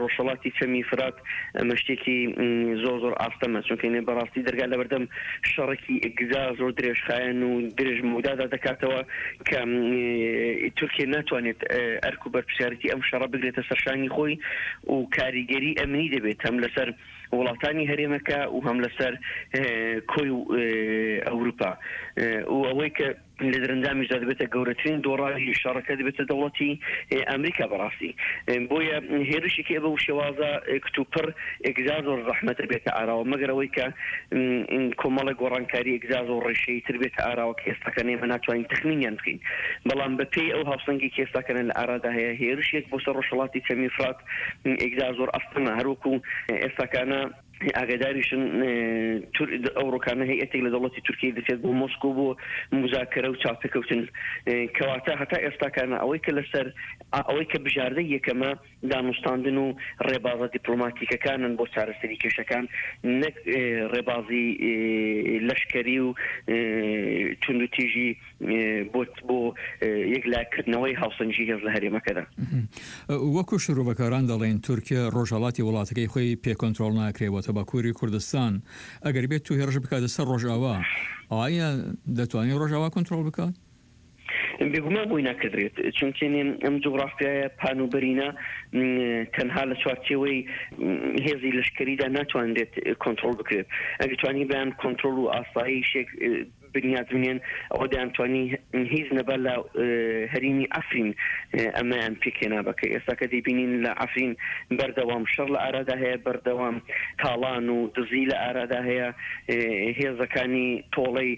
ڕۆژهەڵاتی چەمی فرات ئەمە شتێکی زۆر زۆر ئاستەمە، چونکە نێ بەڕاستی دەرگا لەبەردەم شەڕێکی ئەگزا زۆر درێژخایەن و درێژ مەودادا دەکاتەوە کە تورکیا ناتوانێت ئەرک و بەرپرسیارێتی ئەم شەڕە بگرێتە سەرشانی خۆی و کاریگەری ئەمنی دەبێت هەم لەسەر وڵاتانی هەرێمەکە و هەم لەسەر کۆی ڕۆژئاوای ئەوروپا و ئەوەی کە لە دەرەنجامیشدا دەبێتە گەورەترین دۆڕاوی شەڕەکە دەبێتە دەوڵەتی ئەمریکا بەڕاستی. بۆیە هێرشێکی بەو شێوازە کتوپڕ ئێگزار زۆر زەحمەتە بێتە ئاراوە، مەگەر ئەوەی کە کۆمەڵێک گۆڕانکاری ئێگزار زۆر ڕێشەیی تر بێتە ئاراوە کە ئێستاکە ئێمە ناتوانین تەخمینیان بکەین. بەڵام بەپێی ئەو هاوسەنگی کە ئێستاکەنە لە ئارادا هەیە، هێرشێک بۆ سەر ڕۆژهەڵاتی چەمی فرات ئێگزار زۆر ئەستەمە، هەروەکو ئێستاکانە ئاگاداریشن ئەوڕۆکانە هەیئەتێک لە دەوڵەتی تورکیە دەچێت بۆ مۆسکۆ بۆ موزاکەرە و چاوپێکەوتن. کەواتە هەتا ئێستاکانە ئەوەی کە لەسەر ئەوەی کە بژاردەی یەکەمە دانوستاندن و ڕێبازە دیپلۆماتیکەکانن بۆ چارەسەری کێشەکان، نەک ڕێبازی لەشکەری و توندوتیژی بۆ بۆ یەکلاکردنەوەی هاوسەنگی هێز لە هەرێمەکەدا. وەکو شرۆڤەکاران دەڵێن تورکیە ڕۆژهەڵاتی وڵاتەکەی خۆی پێ کۆنترۆڵ ناکرێ واتە باکووری کوردستان، ئەگەر بێت و هێڕش بکاتە سەر ڕۆژئاوا ئایا دەتوانێت ڕۆژئاوا کۆنترۆڵ بکات؟ بێگومان بۆی ناکردرێت، چونکێ ئەم جوگرافیایە پان و بەرینە تەنها لە چوارچێوەی هێزی لەشکەریدا ناتوانرێت کۆنترۆڵ بکرێت. ئەگەر توانیبیان کۆنترۆڵ و ئاسایشێک بنیات بنێن، ئەوە دەیانتوانی هیچ نەبا لە هەرێمی عەفرین ئەمەیان پێکهێنابا، کە ئێستا کە دەیبینین لە عەفرین بەردەوام شەڕ لە ئارادا هەیە، بەردەوام تاڵان و دزی لە ئارادا هەیە، هێزەکانی تۆڵەی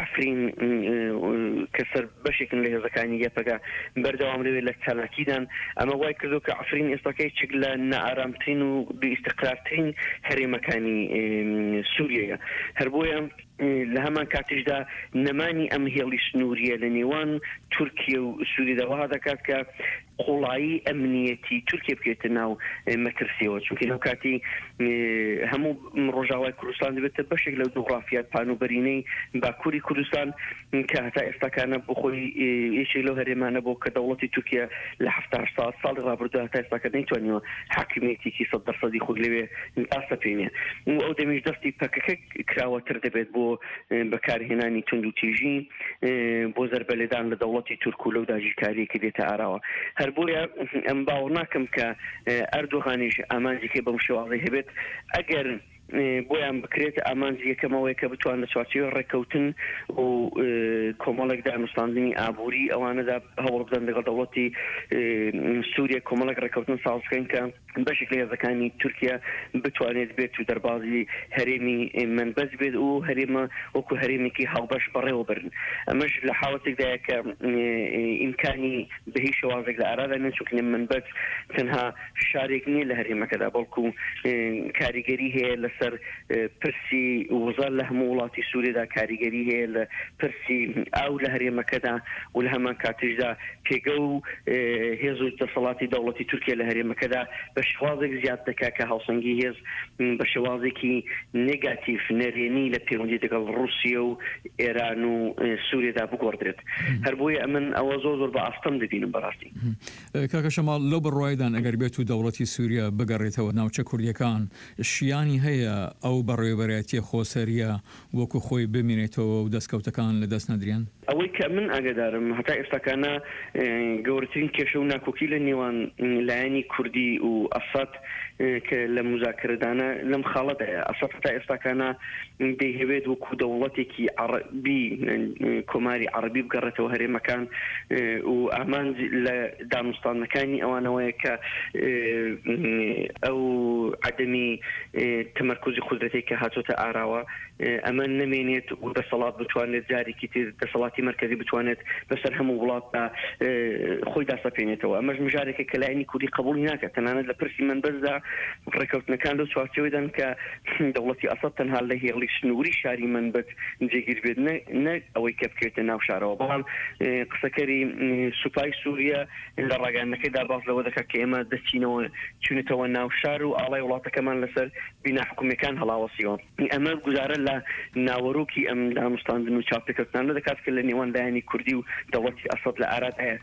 عەفرین کە سەر بەشێکن لە هێزەکانی یەپەگە بەردەوام لەوێ لە چالاکیدان. ئەمە وای کردو کە عەفرین ئێستاکە یەکێک لە نائارامترین و بێئیستیقرارترین هەرێمەکانی سووریەیە. هەر بۆیە لە هەمان کاتیشدا نەمانی ئەم هێڵی سنووریە لە نێوان تورکیە و سووریەدا وەها دەکات کە قوڵایی ئەمنیەتی تورکیە بکەوێتە ناو مەترسیەوە، چونکە لەو کاتی هەموو ڕۆژاوای کوردستان دەبێتە بەشێک لەو جوغرافیا پان و بەرینەی باکووری کوردستان کە هەتا ئێستاکانە بۆ خۆی یەکێک لەو هەرێمانە بۆ کە دەوڵەتی تورکیە لە حەفتا هەشت ساڵی ڕابردوو هەتا ئێستاکە نەیتوانیوە حاکمیەتێکی سەد دەرسەدی خۆی لەوێ داسەپێنێ و ئەو دەمیش دەستی پەکەکە کراوەتر دەبێت بۆ بەکارهێنانی توندوتیژی بۆ زەربە لێدان لە دەوڵەتی تورک و لەو داگیرکاریە کە دێتە ئاراوە. هەر بۆیە ئەم باوەڕ ناکەم کە ئەردۆغانیش ئامانجێکی بەم شێوازەی هەبێت. ئەگەر بۆیان بکرێت ئامانجی یەکەمەوەی کە بتوان لە چوارچێوەی ڕێککەوتن و کۆمەڵێک دانوستاندنی ئابووری ئەوانەدا هەوڵ بدەن لەگەڵ دەوڵەتی سووریە کۆمەڵێک ڕێککەوتن ساز بکەن کە بەشێک لە هێزەکانی تورکیا بتوانێت بێت و دەربازی هەرێمی منبەج بێت و هەرێمە وەکو هەرێمێکی هاوبەش بەڕێوە برن. ئەمەش لە حاڵەتێکدایە کە ئیمکانی بە هیچ شێوازێک لە ئارادا نییە، چونکە منبەج تەنها شارێک نییە لە هەرێمەکەدا، بەڵکو کاریگەری هەیە لەسەر پرسی وزە لە هەموو وڵاتی سووریەدا، کاریگەری هەیە لە پرسی ئاو لە هەرێمەکەدا و لە هەمان کاتیشدا پێگە و هێز و دەسەڵاتی دەوڵەتی تورکیا لە هەرێمەکەدا بە شێوازێک زیاد دەکات کە هاوسەنگی هێز بە شێوازێکی نێگاتیڤ نەرێنی لە پەیوەندی لەگەڵ ڕووسیا و ئێران و سووریەدا بگۆڕدرێت. هەر بۆیە ئەمن ئەوە زۆر زۆر بە ئاستەم دەبینم بەڕاستی. کاکە شەماڵ، لەو بڕوایدان ئەگەر بێت و دەوڵەتی سووریا بگەڕێتەوە ناوچە کوردیەکان، شیانی هەیە ئەو بەڕێوەبەرایەتیە خۆسەریە وەکو خۆی بمێنێتەوە و دەستکەوتەکان لەدەست نەدرێن؟ ئەوەی کە من ئاگادارم هەتا ئێستاکانە گەورەترین کێشە و ناکۆکی لە نێوان لایەنی کوردی و ئەسەد کە لە مزاکرەدانە لەم خاڵەدایە. ئەسەد هەتا ئێستاکانە دەیهەوێت وەکو دەوڵەتێکی عەرەبی کۆماری عەرەبی بگەڕێتەوە هەرێمەکان و ئامانج لە دانوستاندنەکانی ئەوانەوەیە کە ئەو عەدەمی تەمەرکوزی قودرەتێک کە هاتۆتە ئاراوە ئەمە نەمێنێت و دەسەڵات بتوانێت جارێکی تر دەسەڵاتی مەرکەزی بتوانێت بەسەر هەموو وڵاتدا خۆی داسەپێنێتەوە. ئەمەش مژارێکە کە لایەنی کوردی قبوڵی ناکات. تەنانەت لە پرسی منبەجدا ڕێککەوتنەکان لەو چوارچێوەدان کە دەوڵەتی ئەسەد تەنها لە هێڵی سنووری شاری منبەج جێگیر بێت، نە ئەوەی کە بکەوێتە ناو شارەوە. بەڵام قسەکەری سوپای سووریا لە ڕاگەیاندنەکەیدا باس لەوە دەکات کە ئێمە دەچینەوە چوونەتەوە ناو شار و ئاڵای وڵاتەکەمان لەسەر بینا حکومیەکان هەڵاوەسیەوە. ئەمە گوزارە لە ناوەرۆکی ئەم دانوستاندن و چاوپێکەوتنانە دەکات کە لە نێوان لایەنی کوردی و دەوڵەتی ئەسەد لە ئارادایە.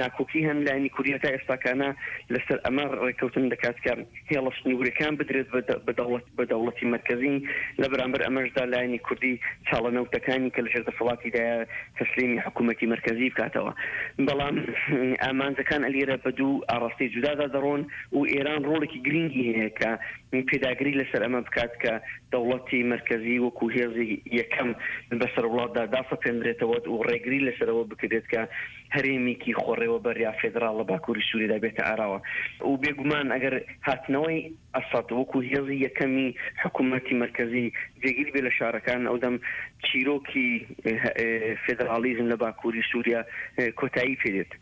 ناکۆکی هەن لایەنی کوردی هەتا ئێستاکانە لەسەر ئەمە ڕێککەوتن دەکات کە هێڵە سنوورەکان بدرێت بە دەوڵەتی مەرکەزی. لە بەرامبەر ئەمەشدا لایەنی کوردی چاڵە نەوتەکانی کە لەژێر دەسەڵاتیدایە تەسلیمی حکوومەتی مەرکەزی بکاتەوە. بەڵام ئامانجەکان ئەلیرە بە دوو ئاڕاستەی جودادا دەڕۆن و ئێران ڕۆڵێکی گرنگی هەیە کە پێداگری لەسەر ئەمە ئەمە بکات کە دەوڵەتی مەرکەزی وەکو هێزی یەکەم بەسەر وڵاتدا داسەپێندرێتەوە و ڕێگری لەسەرەوە بکرێت کە هەرێمێکی خۆڕێوەبەر یا فێدراڵ لە باکووری سووریدا بێتە ئاراوە. و بێگومان ئەگەر هاتنەوەی ئەسەد وەکو هێزی یەکەمی حکوومەتی مەرکەزی جێگیر بێ لە شارەکان، ئەودەم چیرۆکی فێدراڵیزم لە باکووری سووریا کۆتایی پێدێت،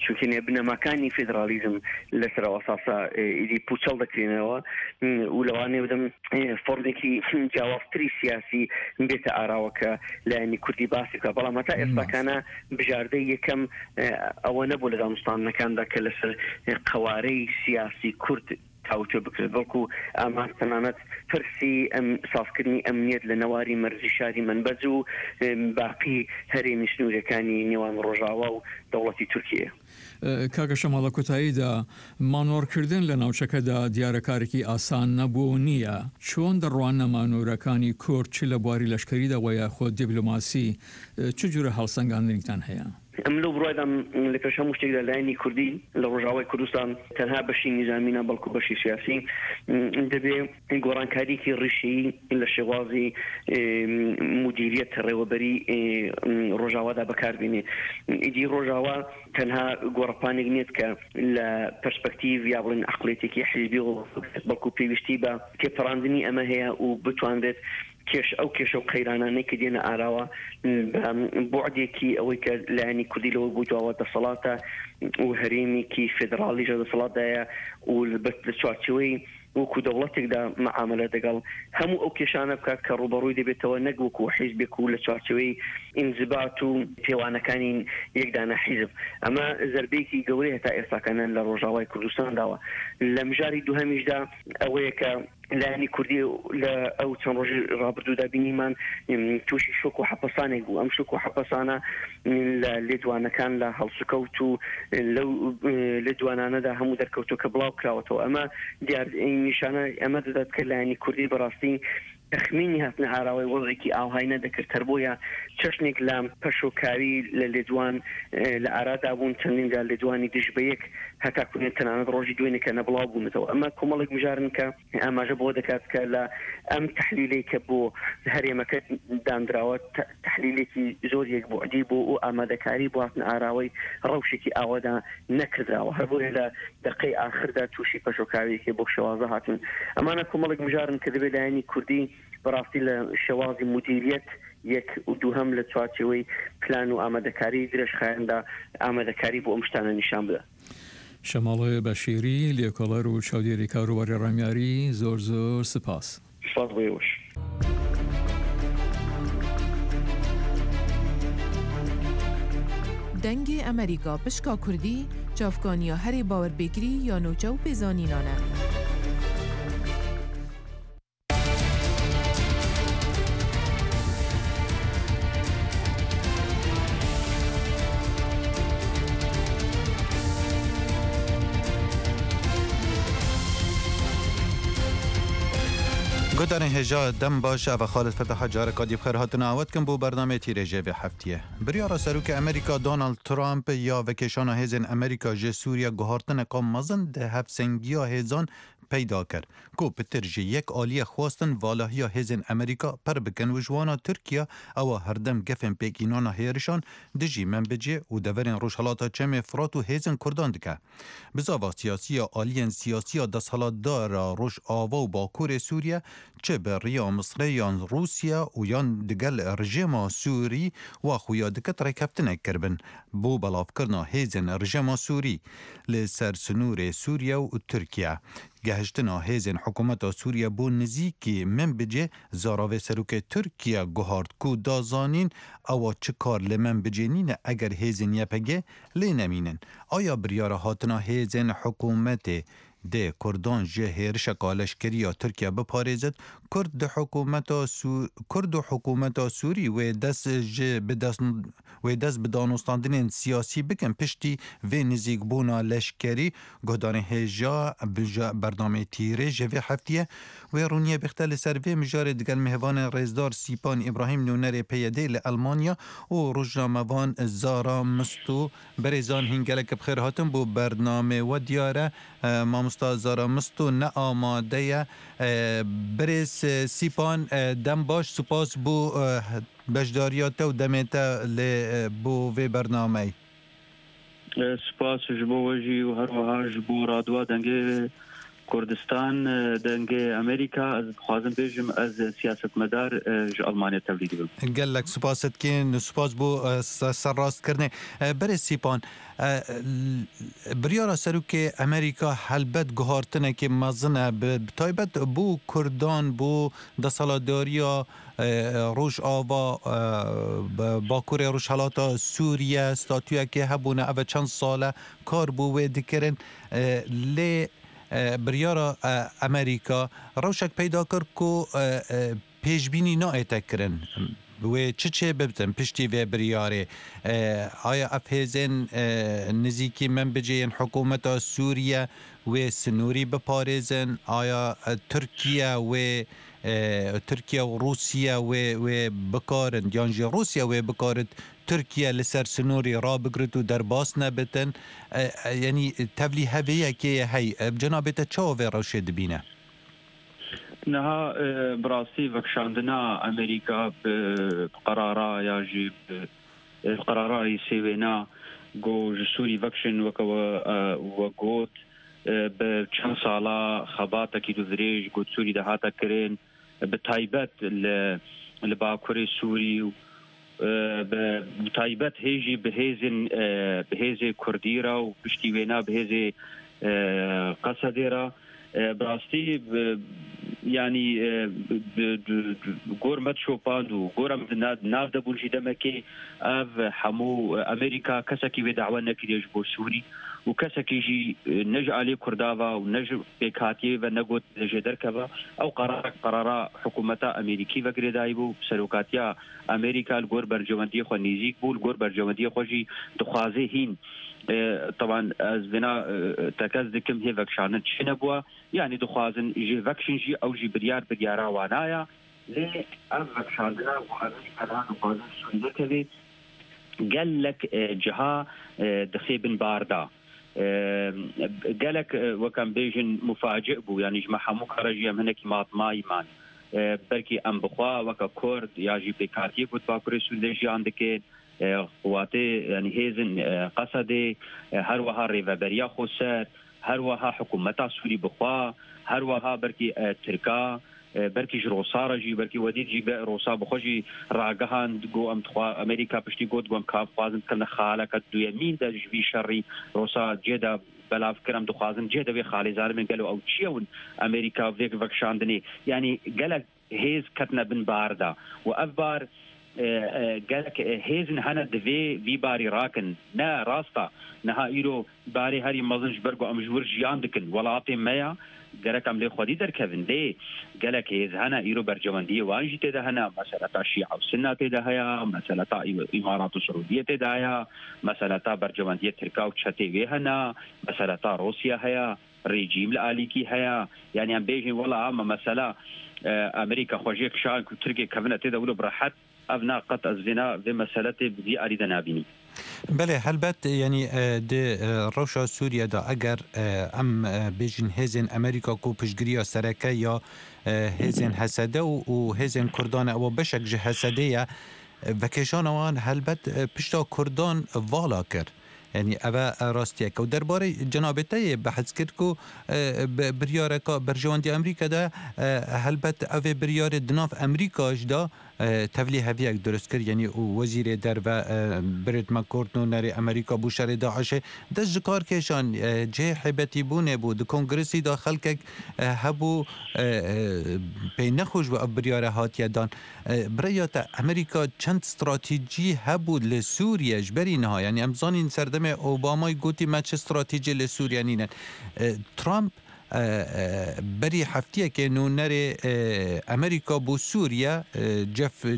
چونکە بنەماکانی فێدراڵیزم لەسەر ئەو ئەساسە ئیدی پوچەڵ دەکرێنەوە و لەوانەیە بدەم فۆرمێکی جیاوازتری سیاسی بێتە ئاراوە کە لایەنی کوردی باسی بکات. بەڵام هەتا ئێستاکانە بژاردەی یەکەم ئەوە نەبوو لە دانوستاندنەکاندا کە لەسەر قەوارەی سیاسی کورد تاوتوێ بکرێت، بەڵکو ئامان تەنانەت پرسی ئەم سازکردنی ئەمنیەت لە نەواری مەرزی شاری مەنبەج و باقی هەرێمی سنوورەکانی نێوان ڕۆژاوا و دەوڵەتی تورکیە. کاکە شەماڵ، لە کۆتاییدا مانۆڕکردن لە ناوچەکەدا دیارە کارێکی ئاسان نەبوو و نییە، چۆن دەڕواننە مانۆرەکانی کورد چ لە بواری لەشکەریدا وە یاخود دیپلۆماسی، چ جورە هەڵسەنگاندنێکتان هەیە؟ ئەمن لەو بڕوایدام لە پێش هەموو شتێکدا لایەنی کوردی لە ڕۆژاوای کوردستان تەنها بەشی نیزامی نا بەڵکو بەشی سیاسی دەبێ گۆڕانکارییەکی ڕیشەیی لە شێوازی مودیریەت ڕێوەبەری ڕۆژاوادا بەکار بێنێ. ئیدی ڕۆژاوا تەنها گۆڕەپانێک نییە کە لە پەرسپەکتیڤ یا بڵێن عەقڵیەتێکی حیزبیەوە بەڵکو پێویستی بە تێپەڕاندنی ئەمە هەیە و بتوانرێت کێش ئەو کێشە و قەیرانانەی کە دێنە ئاراوە بە بوعدێکی ئەوەی کە لایەنی کوردی لەوە بوو دواوە دەسەڵاتە و هەرێمێکی فێدراڵیش لە دەسەڵاتدایە و لە چوارچێوەی وەکو دەوڵەتێکدا مەعامەلە دەگەڵ هەموو ئەو کێشانە بکات کە ڕووبەڕووی دەبێتەوە، نەک وەکو حیزبێک و لە چوارچێوەی ئینزبات و پێوانەکانی یەک دانە حیزب. ئەمە زەربەیەکی گەورەیە تا ئێستاکانە لە ڕۆژاوای کوردستان داوە. لە مژاری دووهەمیشدا ئەوەیە کە لایەنی کوردی لە ئەو چەند ڕۆژی ڕابردوودا بینیمان تووشی شۆک و حەپەسانێک بوو. ئەم شۆک و حەپەسانە لە لێدوانەکان، لە هەڵسوکەوت و لەو لێدوانانەدا هەموو دەرکەوتووە کە بڵاو کراوەتەوە. ئەمە دیار نیشانە ئەمە دەدات کە لایەنی کوردی بەڕاستی تەخمینی هاتنە ئاراوەی وەزعێکی ئاوهای نەدەکرد، هەر بۆیە چەشنێک لە پەشۆکاوی لە لێدوان لە ئارادا بوون، چەندین جار لێدوانی دژ بە یەک هەتاکوو تەنانەت ڕۆژی دوێنێ کە نەبڵاو بوونەتەوە. ئەمە کۆمەڵێک مژارن کە ئاماژە بەوە دەکات کە لە ئەم تەحلیلەی کە بۆ هەرێمەکە داندراوە تەحلیلێکی زۆر یەکبوعدی بۆ و ئامادەکاری بۆ هاتنە ئاراوەی ڕەوشێکی ئاوادا نەکردراوە، هەر بۆیە لە دەقەی ئاخردا تووشی پەشۆکاوییەکی بەو شێوازە هاتن. ئەمانە کۆمەڵێک مژارن کە دەبێت لایەنی کوردی بەڕاستی لە شێوازی مودیریەت یەک و دووهەم لە چوارچێوەی پلان و ئامادەکاری درێژخایەندا ئامادەکاری بۆ ئەم شتانە نیشان بدات. شەماڵ بەشیری، لێکۆڵەر و چاودێری کاروباری ڕامیاری، زۆر زۆر سپاس. سپاس بۆ ئێوەش. دەنگێ ئەمەریکا پشکا کوردی، چاڤکانیا هەرێ باوەرپێکری یا نوچە و پێزانینانە. گوتارین هێژا دەم باش ئەڤ خالد فتاح جارەکا دی بخێر هاتن ئاوەت کم بۆ بەرنامەی تیرێژێ vê heftiyê. Biryara Serokê Amerîka Donald Trump ya vekêşana hêzên Amerîka ji Sûriye guhartineka mezin di hevsengiya hêzan peyda kir. Ku pitir ji yek aliyê xwastin valahiya hêzên Amerîka pir bikin û ji wana Tirkiye ewa herdem gefên pêkînana hêrişan dijî Menbicê û deverên Rojhilata Çemê Firat û hêzên Kurdan dike. Bizava siyasiya aliyên siyasiya desthilatdara Rojava û Bakurê Sûriye çi bi riya Misrê yan Rûsya û yan digel rejîma Sûrî wa xuya diket rêkeftinek kiribin bo belavkirina hêzên rejîma Sûrî li ser sinûrê Sûriye û Tirkiye. Gehiştina hêzên hikûmeta Sûriye bo nizîkî Menbicê zaravê Serokê Tirkiye guhart ku da zanîn ewa çi kar li Menbicê nîne eger hêzên Y P G lê nemînin. Aya biryara hatina hêzên hikûmetê dê Kurdan ji hêrişeka leşkeriya Tirkiye biparêzit, Kurd di hikûmeta Kurd û hikûmeta Sûrî wê dest ji bi dest wê dest bi danûstandinên siyasî bikin piştî vê nizîkbûna leşkerî guhdarên hêja bernameyê tîrê ji vê heftiyê wê rûniyê bixte li ser vê mijarê digel mêvanên rêzdar Sîpan İbrahîm nûnerê P Y D li Elmanya û rojnamevan Zara Misto berêzan hîn gelek bi xêr hatin bo bernamê we diyar e mamosta مامۆستا زارا مستۆ نە ئامادەیە. برێز سیپان دەم باش سوپاس بۆ بەشداریاتە و دەمێتە لێ بۆ vê بەرنامەی. سوپاس ji bo we jî û her wiha ji bo radyoya Dengê Kurdistan Dengê Amerîka ez dixwazim bêjim ez siyasetmedar ji Almanya tevlî dibim. Gelek spas dikin spas bo serrastkirinê. Berê Sîpan biryara Serokê Amerîka helbet guhartinekê mezin e bi taybet bo Kurdan bo deselatdariya Rojava Bakurê Rojhilata Sûriye statuyekê hebûne ev çend sal e kar bo wê dikirin lê biryara Amerîka rewşek peyda kir ku pêşbînî nayête kirin. Wê çi çê bibin piştî vê biryarê aya ev hêzên nêzîkî Menbicê yên hikûmeta Sûriye wê sinorî biparêzin aya Tirkiye wê Tirkiye û Rûsya wê wê bikarin yan jî Rûsya wê bikarin Tirkiye li ser sinorî rabigirit û derbas nebitin yanî tevlî heviyekê hey cenabê te çawa vê rewşê dibîne؟ Niha bi rastî vekşandina Amerîka bi qerara ya jî bi qerara sêwêna got ji Sûrî vekşin weke we got bi çend sala xebatekî dûdirêj got Sûrî de hate kirin bi taybet li li Bakurê Sûrî û bi taybet hê jî bi hêzên bi hêzê Kurdî re û piştî wêna bi hêzê Qesedê re bi rastî yanî gor me dişopand û gor em nav de bûn jî demekê ev hemû Amerîka kesekî wê dawe nekiriye ji bo Sûrî û kesekî jî ne ji aliyê Kurdava û ne ji pêkhatiyê ve negot jê derkeve ew qerarek qerara hikûmeta Amerîkî ve girêdayî bû serokatiya Amerîka li gor berjewendiyê xwe nêzîk bû li gor berjewendiyê xwe jî dixwaze hîn طبعا ez vêna tekez dikim hê vekşandin çi nebûye yani dixwazin jê vekşin jî ew jî biryar biryara wana ye lê ev vekşandina ku Amerîka niha dixwazin Sûrî derkeve gelek ciha dixê bin bar da gelek wek em bêjin mufaci bû yani ji me hemû kara jî em hinekî matmayî man belkî em bixwe weke Kurd ya jî pêkhatiyê ku Bakurê Sûrî de jiyan dikin قواتê yani hêzên Qesedê her wiha rêveberiya xweser her wiha hikûmeta Sûrî bixwe her wiha belkî Tirka belkî ji Rûsa re jî belkî wedî jî Rûsa bixwe jî ragihand got em dixwa Amerîka piştî got got em ka dixwazin bikevin xaleke duyemîn de ji vî şerî Rûsa cê de belav kir em dixwazin cê de wê xalê zalim gelo ew çi ye Amerîka vê vekşandinê yani gelek hêz ketine bin bar da û ev bar gelek hêzin hene divê vî barî rakin ne rasta niha îro barê herî mezin ji ber ku em ji wir jiyan dikin welatê me ya gerek em lê xwedî derkevin lê gelek hêz hene îro berjewendiyê wan jî tê de hene meseleta Şîa û Sinna tê de heye meseleta Îmarat û Siûdiye tê de heye meseleta berjewendiyê Tirka û çetê wê hene meseleta Rûsya heye rejîm li alîkî heye yani em bêjin wela ama mesela Amerîka xwe jê kişand ku Tirkiye kevine tê de wilo bi rehet ev na qet ez vêna vê meseletê bi vî alî de nabînim. Belê helbet yanî di rewşa Sûriye de eger em bêjin hêzên Amerîka ku piştgiriya sereke ya hêzên Hesede û hêzên Kurdan ew beşek ji Hesedê ye vekêşana wan helbet pişta Kurdan vala kir. Yani ev rastiyek û derbarê cenabê te yê behs kir ku biryareka berjewendiya Amerîka de helbet ev ê biryarê di nav Amerîka ji de tevlî heviyek dirust kir yanî û wezîrê derve Brett McCourt nûnerê Amerîka bû şerê Daişê dest ji kar kêşan cihê heybetîbûnê bû di kongresî de xelkek hebû pê nexweş bû ev biryare hatiye dan birêya te Amerîka çend stratejî hebû li Sûriye ji berî niha yanî em zanîn serdemê Obamayê gotî me çi stratejî li Sûriye nînin Trump berî heftiyekê nûnerê Amerîka bû Sûriye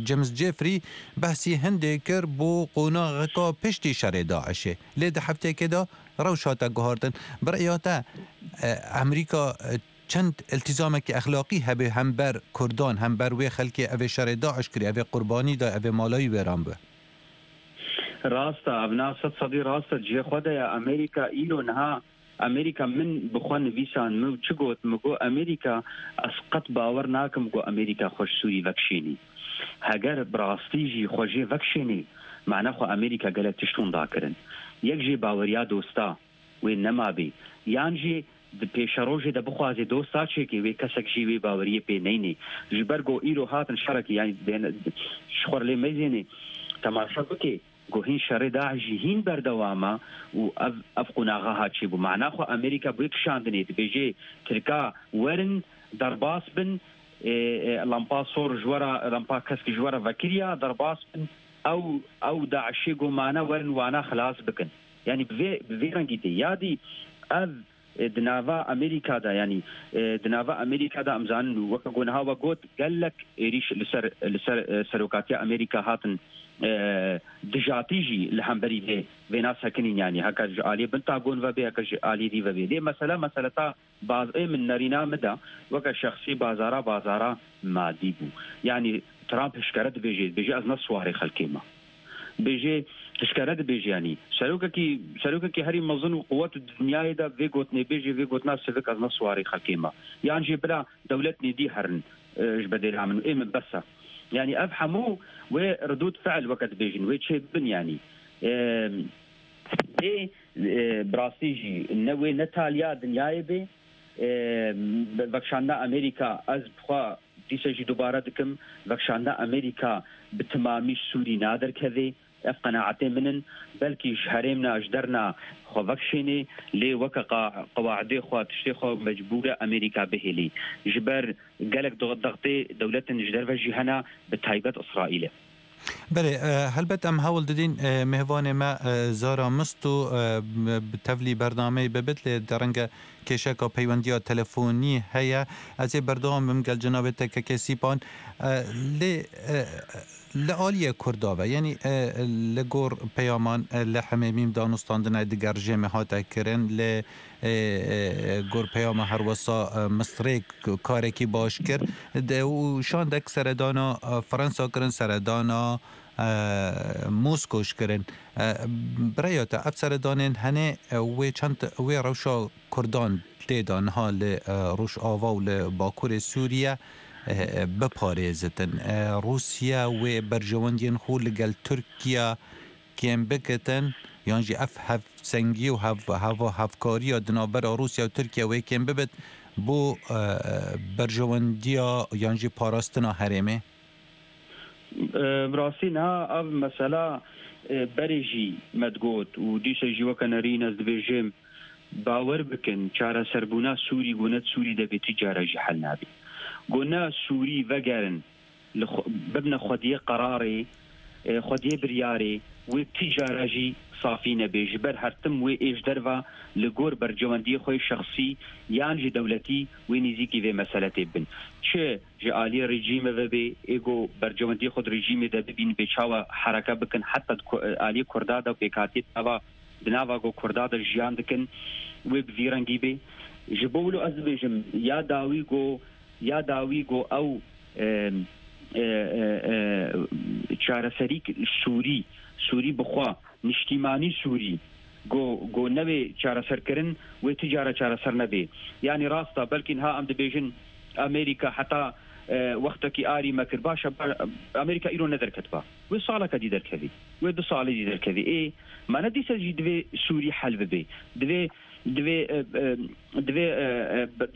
James Jeffrey behsî hindê kir bo qonaxeka piştî şerê Daişê lê di heftiyekê de rewş hate guhartin birêya te Amerîka çend iltizamekî exlaqî hebe hember Kurdan hember wê xelkê ev ê şerê Daiş kirî ev ê qurbanî da ev ê malayî wêran bû. Rasta ev na sed sedî rast e cihê xwe de ye Amerîka îro niha ئەمریکا من بخوا نویسان من چ گوت مگو ئەمریکا ئەس قەت باوەڕ ناکەم گو ئەمریکا خۆش سووری ڤەکشێنی هەگەر بڕاستیژی خۆشێ ڤەکشێنی معنە خۆ ئەمریکا گەلە تشتون داکردن یەک ژێ باوەریا دۆستا وێ نەمابێ یان ژێ پێشەڕۆژێ دە بخوازێ دۆستا چێکێ وێ کەسێک ژی وێ باوەریە پێ نەینێ ji ber go îro hatin şerekî yani xwe lê mezênê temaşa bike go hîn şerê Daîş jî hîn berdewama û ev ev qonaxa hat çêbû mana xwe Amerîka bi kişandinê dibêje Tirka werin derbas bin lampa sor ji were lampa kesk ji were vekiriya derbas bin ew ew Daîşê go mana werin wana xilas bikin yani bi vê bi vê rengî tê yadî ev دناوا ئەمریکا دا ینی دناوا ئەمریکا دا ئەمزانن وەکە گۆنهاوە گوت gelek êriş li ser li ser serokatiya Amerîka hatin دژاتî jî li hemberî vê vêna sekinîn yanî heke ji aliyê Pentagon ve bê heke ji aliyê dî ve bê lê mesela mesela ta bazê min nerîna min da weke şexsî bazara bazara madî bû yanî Trump hişkere dibêje dibêje ez ne siwarê xelkê me bêje hişkere dibêje yanî serokekî serokekî herî mezin û quwet dinyayê de vê gotinê bêje vê gotina sivik ez ne siwarê xelkê me yan jî bila dewlet nêdî herin ji bedêla min ê min bes e yani ev hemû wê ردود فعل weke dibêjin wê çê bibin yanî lê bi rastî jî ne wê ne taliya dinyayê bê vekşandina Amerîka ez bi xwe dîsa jî dubare dikim vekşandina Amerîka bi temamî Sûrî naderkeve ev qenaetê min in belkî ji herêmna ji derna xwe vekşênê lê weke qewaidê xwe tiştê xwe mecbûr e Amerîka bihêlî ji ber gelek dextê dewletên ji derve jî hene bi taybet İsraîlê. Belê helbet em hewl didîn mêvanê me Zara Misto bi tevlî bernameyê bibit lê derenge kêşeka peywendiya telefonî heye ez ê berdewam bim gel cenabê te kekê Sîpan lê li aliyê Kurda ve yanî li gor peyaman li Hemêmîm danûstandina diger jêmê hate kirin lê gor peyama herwesa Misrê karekî baş kir û şandek seredana Fransa kirin seredana Moskoş kirin birêya te ev seredanên hene wê çend wê rewşa Kurdan tê de niha li Rojava û li Bakurê Sûriye biparêzitin Rûsya wê berjewendiyên xwe li gel Tirkiye kêm bikitin yan jî ev hevsengî û hev heva hevkariya di navbera Rûsya û Tirkiye wê kêm bibit bo berjewendiya yan jî parastina herêmê؟ Bi rastî niha ev mesela berê jî me digot û dîsa jî weke nerîn ez dibêjim bawer bikin çareserbûna Sûrî got ne Sûrî de bê ti cara jî hel nabê got ne Sûrî vegerin bibne xwediyê qerarê xwediyê biryarê wê ti cara jî safî nebe ji ber hertim wê êj derve li gor berjewendiyê xwe şexsî yan jî dewletî wê nêzîkî vê meseletê bin çi ji aliyê rejîmê ve bê êgo berjewendiyê xwe di rejîmê de bibîn bê çawa hereke bikin heta aliyê Kurda de pêkhatiyê nava di nava go Kurda de jiyan dikin wê bi vî rengî bê ji bo wilo ez dibêjim ya dawî go ya dawî go ew çareserî Sûrî Sûrî bixwe niştîmanî Sûrî go go nevê çareserkirin wê ti cara çareser nebe yanî rasta belkî niha em dibêjin Amerîka heta wextekî arî me kir baş e Amerîka îro nederketiba wê saleke dî derkevî wê du salê dî derkevî ê me ne dîsa jî divê Sûrî hel bibe divê divê divê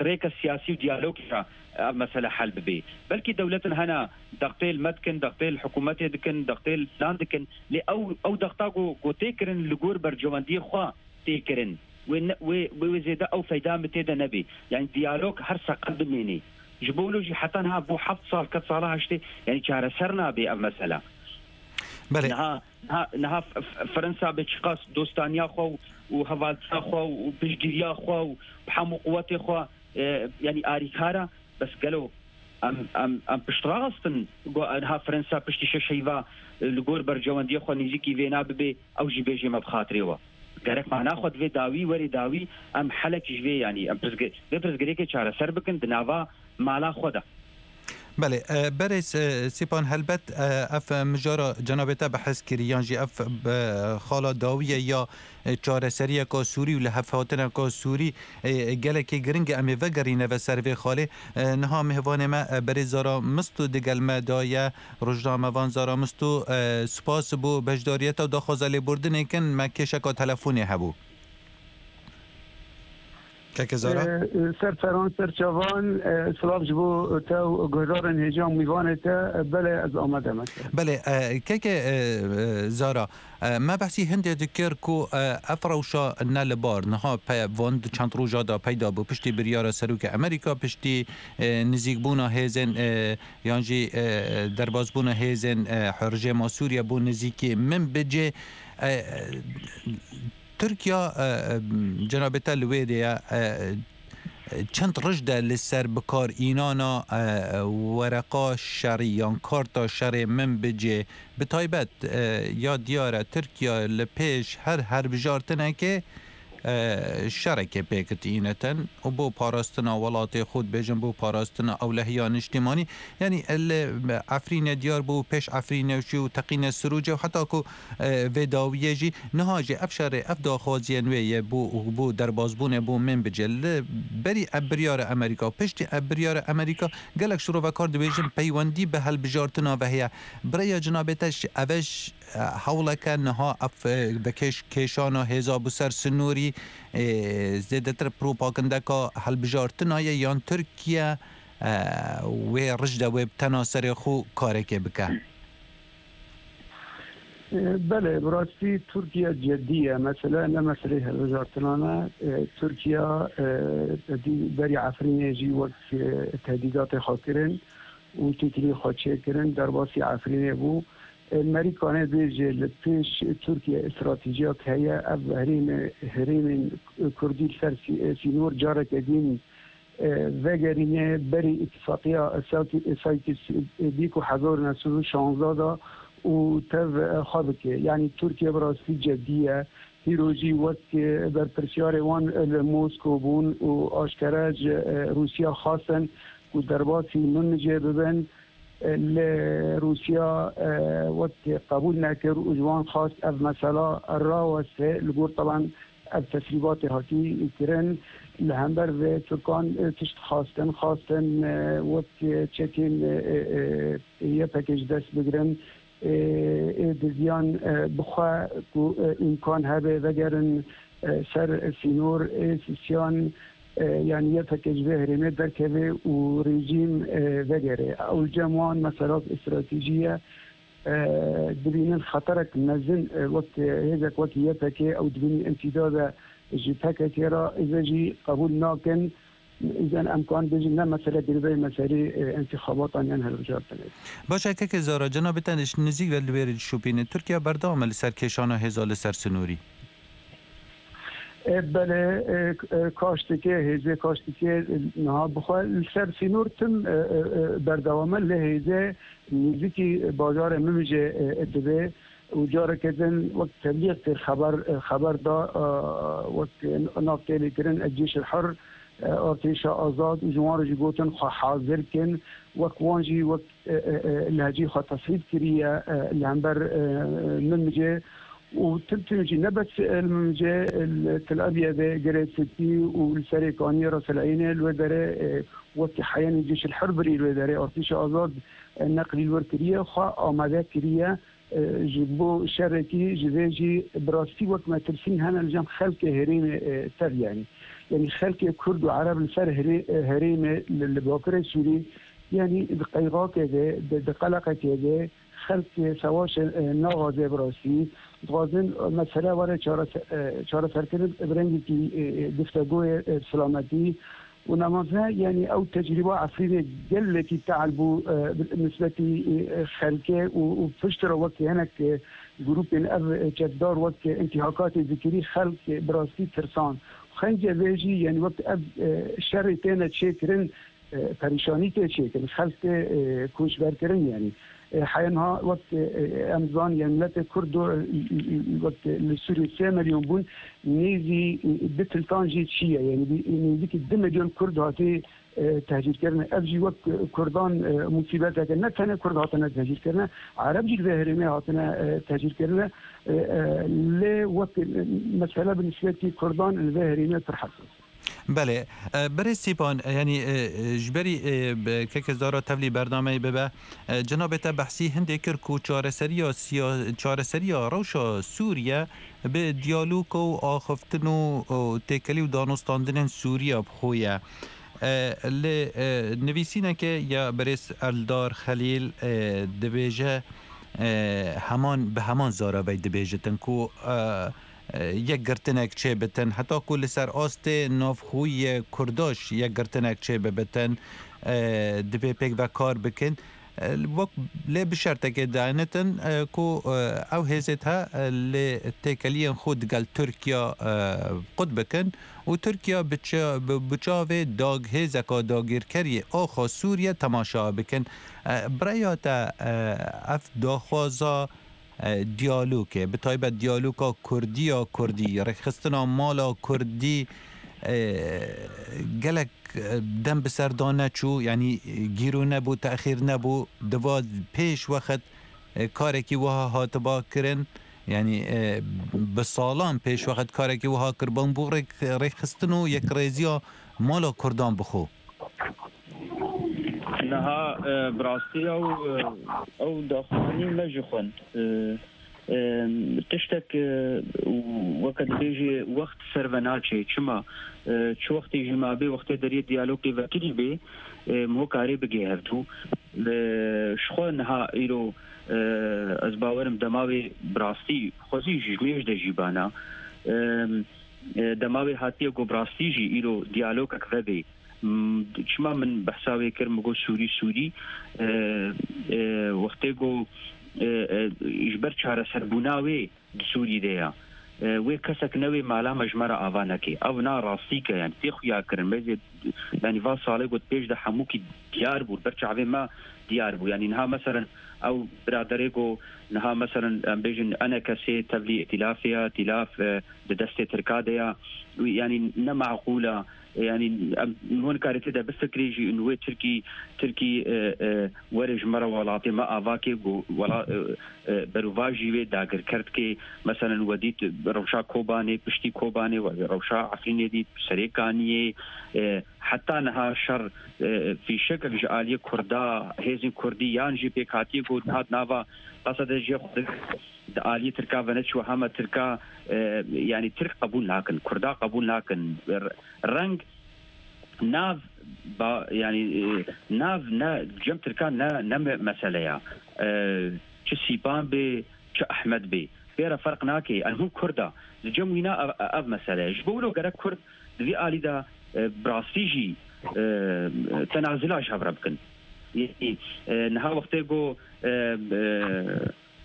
rêka siyasî û diyalogê re ev mesele hel bibe belkî dewletin hene dextê li me dikin dextê li hikûmetê dikin dextê li filan dikin lê ew ew dexta go go tê kirin li gor berjewendiyê xwe tê kirin wê wê wê zêde ew feyda me tê de nebe yani diyalog her seqet bimînê ji bo wilo jî heta niha bû heft sal ket sala heştê yani çareser nabe ev mesele Belê niha niha Fransa bi çiqas dostaniya xwe û hevaltiya xwe û piştgiriya xwe û hemû quwetê xwe yani arîkara bes gelo em em em piştrastin niha Fransa piştî şeş heyva li gor berjewendiya xwe nêzîkî vê nabibe ew jî bêje me bi xatirê we gerek mana xwe divê dawî werê dawî em helek ji vê yanî em vê pirsgirêkê çareser bikin di nava mala xwe de. بله برس سیپان هەلبەت ئەف مژارە جەنابێتە بەحس کری یان ژی ئەف خاڵا داویە یا چارەسەریەکە سووری و لە هەفهاتنەکە سووری gelekê giring em ê vegerîne ve ser vê xalê niha mêvanê me berê Zara Misto digel me daye rojnamevan Zara Misto spas bû beşdariyeta daxwaza lêbordinê kin me kêşeka telefonê hebû. کاکە زارا سەر فەران سەر چاوان سڵاو ji بۆ te û guhdarên hêja mîvanê te belê ez amade me. Belê keke Zara me behsî hindê dikir ku ev rewşa ne li bar niha van çend roja da peyda bû piştî biryara Serokê Amerîka piştî nizîkbûna hêzên yan jî derbasbûna hêzên rejîma Sûriye bû nizîkî Minbicê Tirkiya cenabê te li wê de ye çend roj de li ser bikar înana wereqa şerî yan karta şerê Minbicê bi taybet ya diyar e Tirkiya li pêş her herbijartinekê şerekê pêk tînetin û bo parastina welatê xwe dibêjin bo parastina ewlehiya niştîmanî yanî li Efrînê diyar bû pêş Efrînê jî û teqîne Sirûcê û heta ku vê dawiyê jî niha jî ev şerê ev daxwaziyên wê ye bo bo derbasbûnê bo Minbicê li berî ev biryara Amerîka piştî ev biryara Amerîka gelek şirovekar dibêjin peywendî bi hilbijartina ve heye birêya cenabê te ev hewleke niha ev vekêş kêşana hêza bû ser sinûrî zêdetir propagandeka hilbijartina ye yan Tirkiye wê rij de wê bi tena serê xwe karekê bike. Belê bi rastî Tirkiye cidî ye mesela ne meselê hilbijartinane Tirkiye berî Efrînê jî wek tehdîdatê xwe kirin û têkilî xwe çêkirin derbasî Efrînê bû. Amerikanê bêje li pêş Tirkiye stratejiyek heye ev herêmê herêmên Kurdî li ser sînor careke din vegerîne berî îtîfaqiya Saykis Bîk û hezar û neh sed û şanzdeh da û tev xwe bike. Yani Tirkiye bi rastî cidî ye hîro jî wek berpirsyarê wan li Moskow bûn û aşkere ji Rûsya xwestin ku derbasî Minbicê bibin li Rûsya wek qebûl nekir û ji wan xwest ev mesela raweste li gor taban ev tesrîbatê hatî kirin li hember vê Tirkan tişt xwestin xwestin wek çekên YPG ji dest bigirin ê diziyan bixwe ku îmkan hebe vegerin ser sînor ê sisyan yani YPG ji vê herêmê derkeve û rejîm vegere. Ew cem wan mesela stratejî ye dibînin xeterek mezin wek hêzek wek YPG ew dibînin imtîdada ji PKK re êze jî qebûl nakin إذا ئەمکان بێژین ne mesele girêdayî meselê întixabatan yan hilbijartinê. Baş e keke Zara cenabê te nêzik ve li wê dişopîne Tirkiye berdewam e li ser kêşana hêza li ser sinûrî. Belê kaş dike hêzê kaş dike niha bixwe li ser sînor tim berdewam e li hêzê nêzîkî bajarê Minbicê dibe û careke din wek teblîg kir xeber xeber da wek nav tê lêkirin Cêş el-Hur artêşa azad û ji wan re jî gotin xwe hazir kin wek wan jî wek lehcî xwe tesrîf kiriye li hember Minbicê û tim tim jî ne bes li Minbicê li Tel Abyadê Girê Spî û li Serê Kaniyê Ras El Eynê li wê derê wekî heyanî Cêş el-Hur birî li wê derê artêşa azad neqlî li wir kiriye xwe amade kiriye ji bo şerekî ji vê jî bi rastî wek metirsîn hene li cem xelkê herêmê tev yanî yani xelkê Kurd û Ereb li ser herêmê li Bakirê Sûrî yani di qeyxakê de di qeleqekê de xelkê sewaşê naxwaze bi rastî dixwazin mesele were çareserkirin bi rengekî guftegoyê selametî û nemaze yani ew tecrîba Efrînê gelekî teal bû nisbetî xelkê û pişt re wek hinek grûpên ev çekdar wek întihakatê dikirî xelk bi rastî tirsan xence vê jî yani wek ev şerê têne çêkirin perîşanî tê çêkirin xelk tê koçberkirin yani حینها وقت امزان يعني ملت كرد وقت لسوريا سه مليون بون نيزي بتلتان جي شيء يعني نيزي دو مليون كرد هاتي تهجير كرنا افجي وقت كردان مصيبتك نتنه كرد هاتنا تهجير كرنا عرب جي ظاهرين هاتنا تهجير كرنا ل وقت مسألة بالنسبة لي كردان الظاهرين ترحسس. بله برای سیپان یعنی جبری که زارا تفلی برنامه ببه جناب تا بحثی هنده کر کو چارەسەریە سیا چارەسەریە ڕەوشە سوریە به دیالوگ و آخفتن و تێکەلی و دانوستاندنên سوریە بخۆیە. لی نویسینەکە یا برێس ئەلدار خەلیل دەبێژە هەمان به هەمان زارەبەی دەبێژتن کو یەک گرتنێک چێ بتن حتا کو لەسەر ئاستێ ناوخۆی کورداش یەک گرتنێک چێ ببتن دەبێ پێک بە کار بکەن وەک لێ بشەرتێکێ دانتن کو ئەو هێزێت ها لێ تێکەلیان خۆ دگەل تورکیا قوت بکەن و تورکیا بچاوێ داگ هێزەکە داگیرکەری ئاخا سووریە تەماشا بکەن. برایاتە ئەف داخوازا دیالوگه به تایبەت دیالوگا کوردی یا کوردی ڕێکخستنا ماڵا کوردی gelek دەم بەسەردا نەچوو یعنی گیرو نەبوو تەخیر نەبوو دوا پێش وەخت کارێکی وەها هاتبا کردن یعنی بە ساڵان پێش وەخت کارێکی وەها کردبان بۆ ڕێکخستن و یەکڕێزیە ماڵا کوردان بخۆ. نها براستی ئەو ئەو داخوانی مەژی خوند تشتێک وەکە دەبێژێ وەخت سەرڤە ناچێ چما چ وەختی ژما بێ وەختێ دەریە دیالۆگی ڤەکری بێ هۆکارێ بگێ هەردوو شخۆ نها ئیرۆ ئەز باوەرم دەماوێ براستی خۆزی ژمێژ دەژیبانە دەماوێ هاتیە گۆ براستی ژی ئیرۆ دیالۆگەک ڤەبێ. چما من بەحساوێ کردم گۆ سووری سووری وەختێ گۆ ژبەر چارەسەربووناوێ سووری دەیە وێ کەسێک نەوێ مالا مەژمەرە ئاوا نەکەی ئەو نا ڕاستیکە یان تێ خویاکردن مەزێ یعنی وا ساڵێ گوت پێش دە هەمووکی دیار بوو بەر چاوێ ما دیار بوو یعنی نها مەسەرەن ئەو برادەرێ گۆ نها مەسەرەن ئەم بێژن ئەنە کەسێ تەبلی ئیتیلافەیە ئیتیلاف دە دەستێ ترکا دەیە یعنی نەمعقولە يعني هون كارتي ده بفكري جي انه تركي تركي ورج مره ولاتي ما افاكي ولا بروفاجي وي داگر كرتكي مثلا وديت روشا كوباني بشتي كوباني وروشا عفريني دي سريكانيه حتى نها شر في شكل جاليه كردا هيزن كردي يان جي بيكاتي قد هاد نافا قصد جي آلیه ترکا ونچ و همه ترکا یعنی ترک قبول ناکن کردا قبول ناکن رنگ ناف با یعنی ناف نه جم ترکا نه نه مسئله یا چه سیبان به چه احمد به بيرا فرق ناكي هم كردا جم وينا اف مسئله جبولو غير كرد في آلی دا براستيجي تنازلاش هبربكن يعني نها وقت جو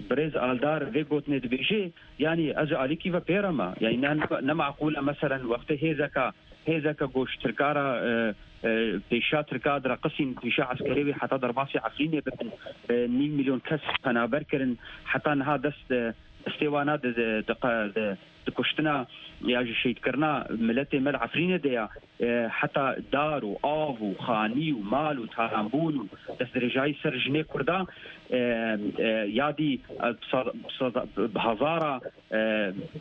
بريز آلدار في قوت ندبيجي يعني از عليكي وبيرما يعني نمعقولة مثلا وقت هيزكا هيزكا قوش تركارا بيشا تركا درقسين بيشا عسكري حتى درباسي عفريني بن نيم مليون كس قنابر كرن حتى نها دست استوانا د دكشتنا يا شيت كرنا ملتي مل عفريني ديا حتى دار وآف وخاني ومال وتارامبون دست رجاي سر جنيه كردا يادي بهزارة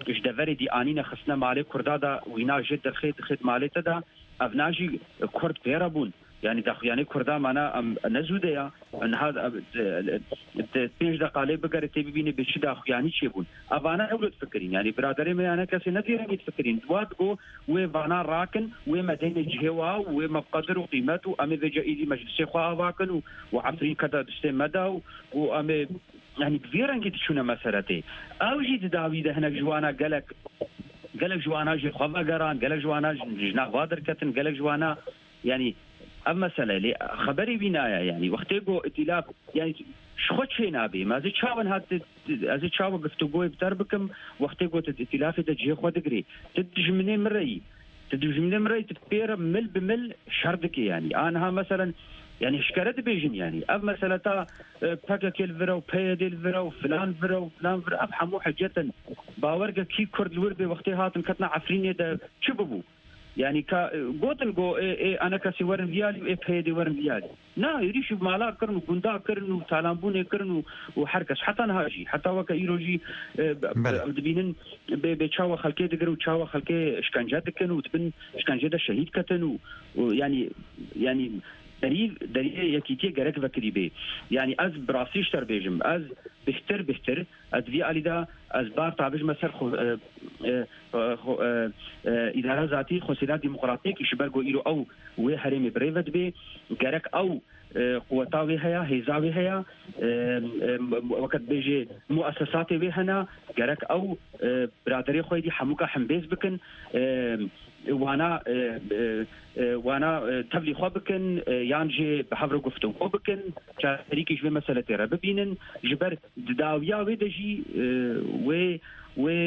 جدفري دي آنينا خسنا مالي كردا دا وينا جد الخيط خيط مالي تدا أفناجي كرد بيربون يعني داخل كردا معنا نزوده ان هذا پێنج دقاله بگەرێ تێ ببینێ بە چی داخویانی چێ بوون. ئەوانە ئەولت فکرین یعنی برادەرێ مەیانە کەسێ نەدیرەنگیت فکرین دوات گۆ وێ ڤانا ڕاکن وێ مەدەینە جهێوا وێ مەقدر و قیمەت و ئەمێ ڤێجە ئیدی مەجلسێ خوا ئاواکن و و عەفرین کەدا دستێ مەدا و و ئەمێ یعنی بڤێ ڕەنگی تچوونە مەسەرەتێ ئەو ژی دداوی دە هەنێک ژوانە گەلک گەلک ژوانە ژێ خوا بەگەڕان گەلک ژوانە ژنا خوا دەرکەتن گەلک ژوانە یعنی ئەم مەسەلە لێ خەبەری بینایە یعنی وەختێ گۆ ئیتیلاف یعنی شخۆ چێ نابێ مازی چاوەن هات ئەزی چاوە گفتوگۆی بتەر بکەم وەختێ گۆتت ئیتیلافی دە جێ خۆ دەگری تە دژمنێ مڕەیی تدوژمنم رەی tu pêre mil bi mil şer dike yani aniha meselen yani şikere dibêjin yani ev mesele ta P K K li vir û P Y D li vir û filan vir û filan vir ev hemû hecetin bawerge kî Kurd li wir bê wextê hatin ketina Efrînê de çi bibû yani ka gotin go ê ê ana kesî werin viyalî û ê P Y D werin viyalî na êrîş mala kirin û gunda kirin û talanbûnê kirin û û her kes heta niha jî heta weke îro jî em dibînin bê bê çawa xelkê digirin û çawa xelkê şkence dikin û dibin şkencê de şehîd ketin û yani yani derî deriyê yekîtiyê gerek vekirî bê yani ez bi rastî ji te bêjim ez bêhtir bêhtir ez vî alî de ez bar tabijme ser îdara zatî xwesîra demokratîk ji ber ku îro ew wê herêmê birêve dibe gerek ew quweta wê heye hêza wê heye weke dibêje muessesatê wê hene gerek ew biraderê xwe dî hemûka hembêz bikin wana wana tevlî xwe bikin yan jî bi hev re guftûgo bikin çareserîkî ji vê meselê tê re bibînin ji ber di dawiya wê de jî wê wê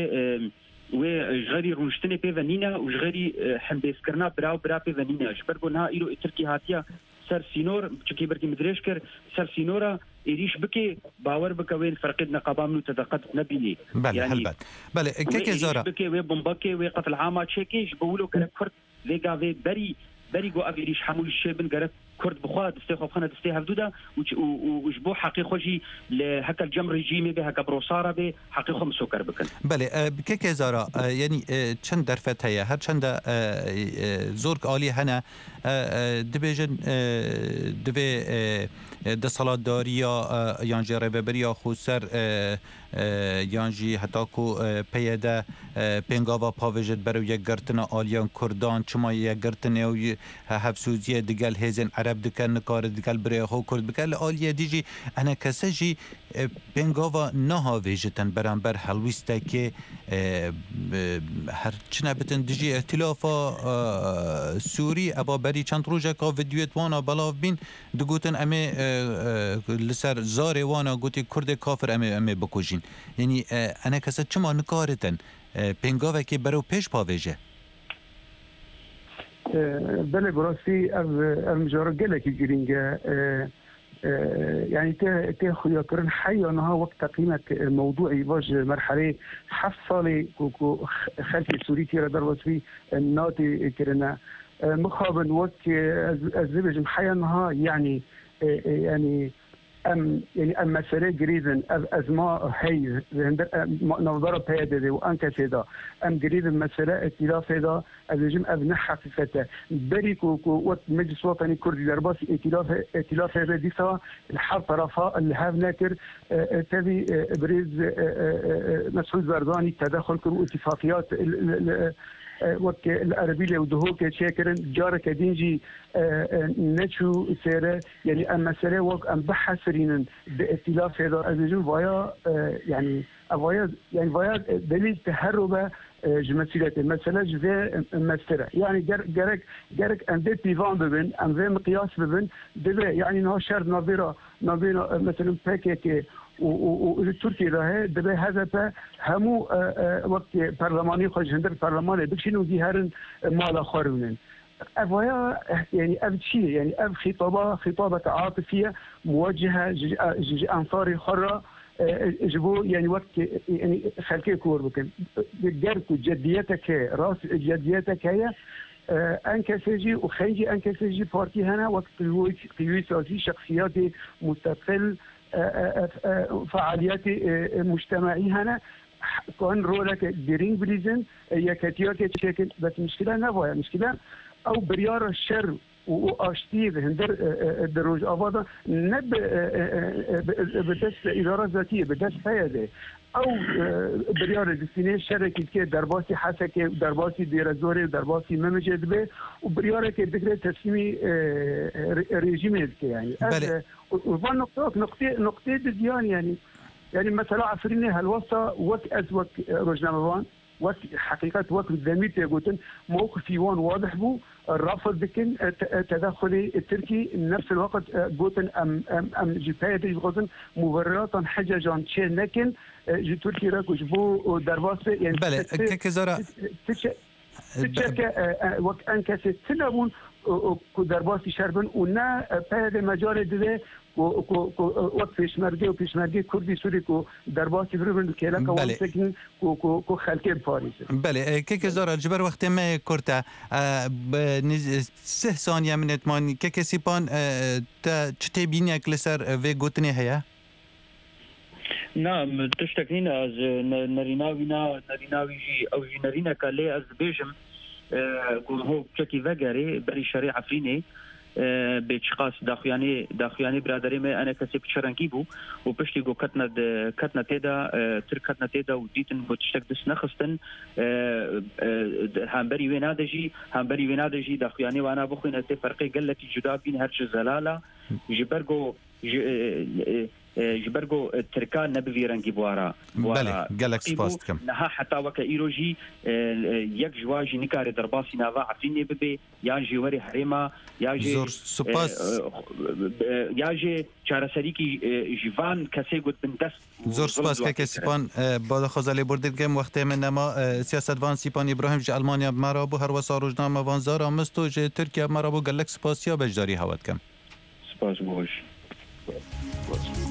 wê ji xerî rûniştinê pê ve nîne û ji xerî hembêzkirina bira û bira pê ve nîne ji ber ku niha îro Tirkiye hatiye ser sînor çikî berkî min dirêj kir ser sînora êrîş bike bawer bike wê ferqê di neqaba min û te de qet nebînî Belê yani helbet belê wê kekê êrîş Zara bike wê bombakê wê qetil ama çêkê ji bo wilo gerek Kurd vê gavê berî berî got ev êrîş hemû ji şê bin gerek Kurd bixwe destê xwe bixine destê hevdû de û û ji bo heqê xwe jî li heke li cem rejîmê bê heke bi rosara bê heqê xwe misoker bikin. Belê kekê Zara yanî çend derfet heye her çende zor alî hene dibêjin divê desthilatdariya yan jî rêveberiya xweser yan jî heta ku P Y D pêngava pavêjit berew yekgirtina aliyan Kurdan çima yekgirtinê û hevsûziyê digel hêzên Ereb dike nikare digel birêya xwe Kurd bike li aliyê dî jî ene kese jî pêngava nahavêjitin beramber helwîstekê her çi nebitin dijî îtîlafa Sûrî eva berî çend rojeka vîdyoyê wana belav bîn digotin em ê li ser zarê wana gotî Kurdê kafir em ê em ê bikujîn yanî ene kese çima nikaritin pêngavekê berew pêş pavêje Belê bi rastî ev ev mijara gelekî girîng e yani tê tê xuyakirin heya niha wek teqîmek mewduî va ji merheleyê heft salê ku ku xelkê Sûrî tê re derbas bî natê kirine mixabin wek ez ez dibêjim heya niha yani yani em yani em mesele girîdin ev ezma hey navdara P Y D û E N K S da em girîdin mesele îtîlafê da ez dibêjim ev ne heqîqet e berî ku ku wek Meclis Wetanî Kurdî derbasî îtîlafê îtîlafê be dîsa li her tarafa li hev nekir tevî birêz Mesûd Barzanî tedexul kir û îtîfaqiyat wek li Erbîlê û Duhokê çêkirin careke din jî neçû sêre yani em mesele wek em bihesirînin di îtîlafê da ez dibêjim vaya yani vaya yani vaya delîl teherrube ji mesuliyetê mesele ji vê mestir e yani gerek gerek em vê pîvan bibin em vê miqyas bibin dibe yani niha şer navbêra navbêra mesela P K K û li Tirkiye de heye dibe H D P hemû wek perlemanî xwe ji hundir perlemanê bikişînin û dî herin mala xwe rûnin ev vaya yani ev çi ye yani ev xîtaba xîtabeke atifiye muwecihe ji ensarê xwe re ji bo yani wek yani xelkê kor bikin ger ku ceddiyetek heye rast ceddiyetek heye E N K S jî û xencî E N K S jî partî hene wek qîwî siyasî şexsiyatê musteqil فعاليات مجتمعي هنا كان رولك جرين بليزن يكتياك شكل بس مشكلة نفايا مشكلة أو بريار الشر واشتي هندر دروج افادا نب بدست اداره ذاتيه بدست هيدا او بريار دستینه شرکت که درباسی حسکه درباسی دیرزوری درباسی ممجد به و بريار که دکره تسلیمی رژیم که يعني بله وفان نقطة نقطة نقطة ديان يعني يعني مثلا عفريني هالوصة وك از وك رجناموان وك حقيقة وك ذميت يقولون موقفي وان واضح بو الرفض بكن تدخلي التركي نفس الوقت جوتن ام ام ام جي جوتن مبررات حججا لكن جي تركي راكو جبو درباس يعني بله كزارا چەکە وەک ئەن کەسێ تنە بوون ku derbasî şer bin û ne peyde mecarê divê وەک پێشمەرگە و پێشمەرگەی کوردی سووری ku derbasî biribin kêleka wan bisekin ku ku ku xelkê biparêzin. Belê keke Zara ji ber wextê me kurt e sih saniye min êtman keke Sîpan te çi têbîniyek li ser vê gotinê heye? Na tiştek nîne ez nerîna wî na nerîna wî jî ew jî nerîneke lê ez dibêjim ku ho çekî vegerê berî şerê Efrînê bê çiqas daxuyanê daxuyanê biraderê me ene kesê bi çi rengî bû û piştî ku ketine ketine tê de Tirk ketine tê de û dîtin ku tiştek dest nexistin hemberî wê nade jî hemberî wê nade jî daxuyanê wana bixwîne tê ferqê gelekî cuda bîn her çi zelala ji ber ku ji ber ku Tirka ne bi vî rengî bûara Belê gelek spas dikim. Niha heta weke îro jî yek ji wa jî nikare derbasî nava Efrînê bibe yan jî werê herêma ya jî Zor spas ya jî çareserîkî ji van kesê got bin dest Zor spas keke Sîpan ba daxwaza lêbordê dikim wextê min nema siyasetvan Sîpan İbrahim ji Almanya bi me re bû her wesa rojnamevan Zara Misto ji Tirkiye bi me re bû gelek spasiya beşdarî hewa dikim. Spas boş. Spas.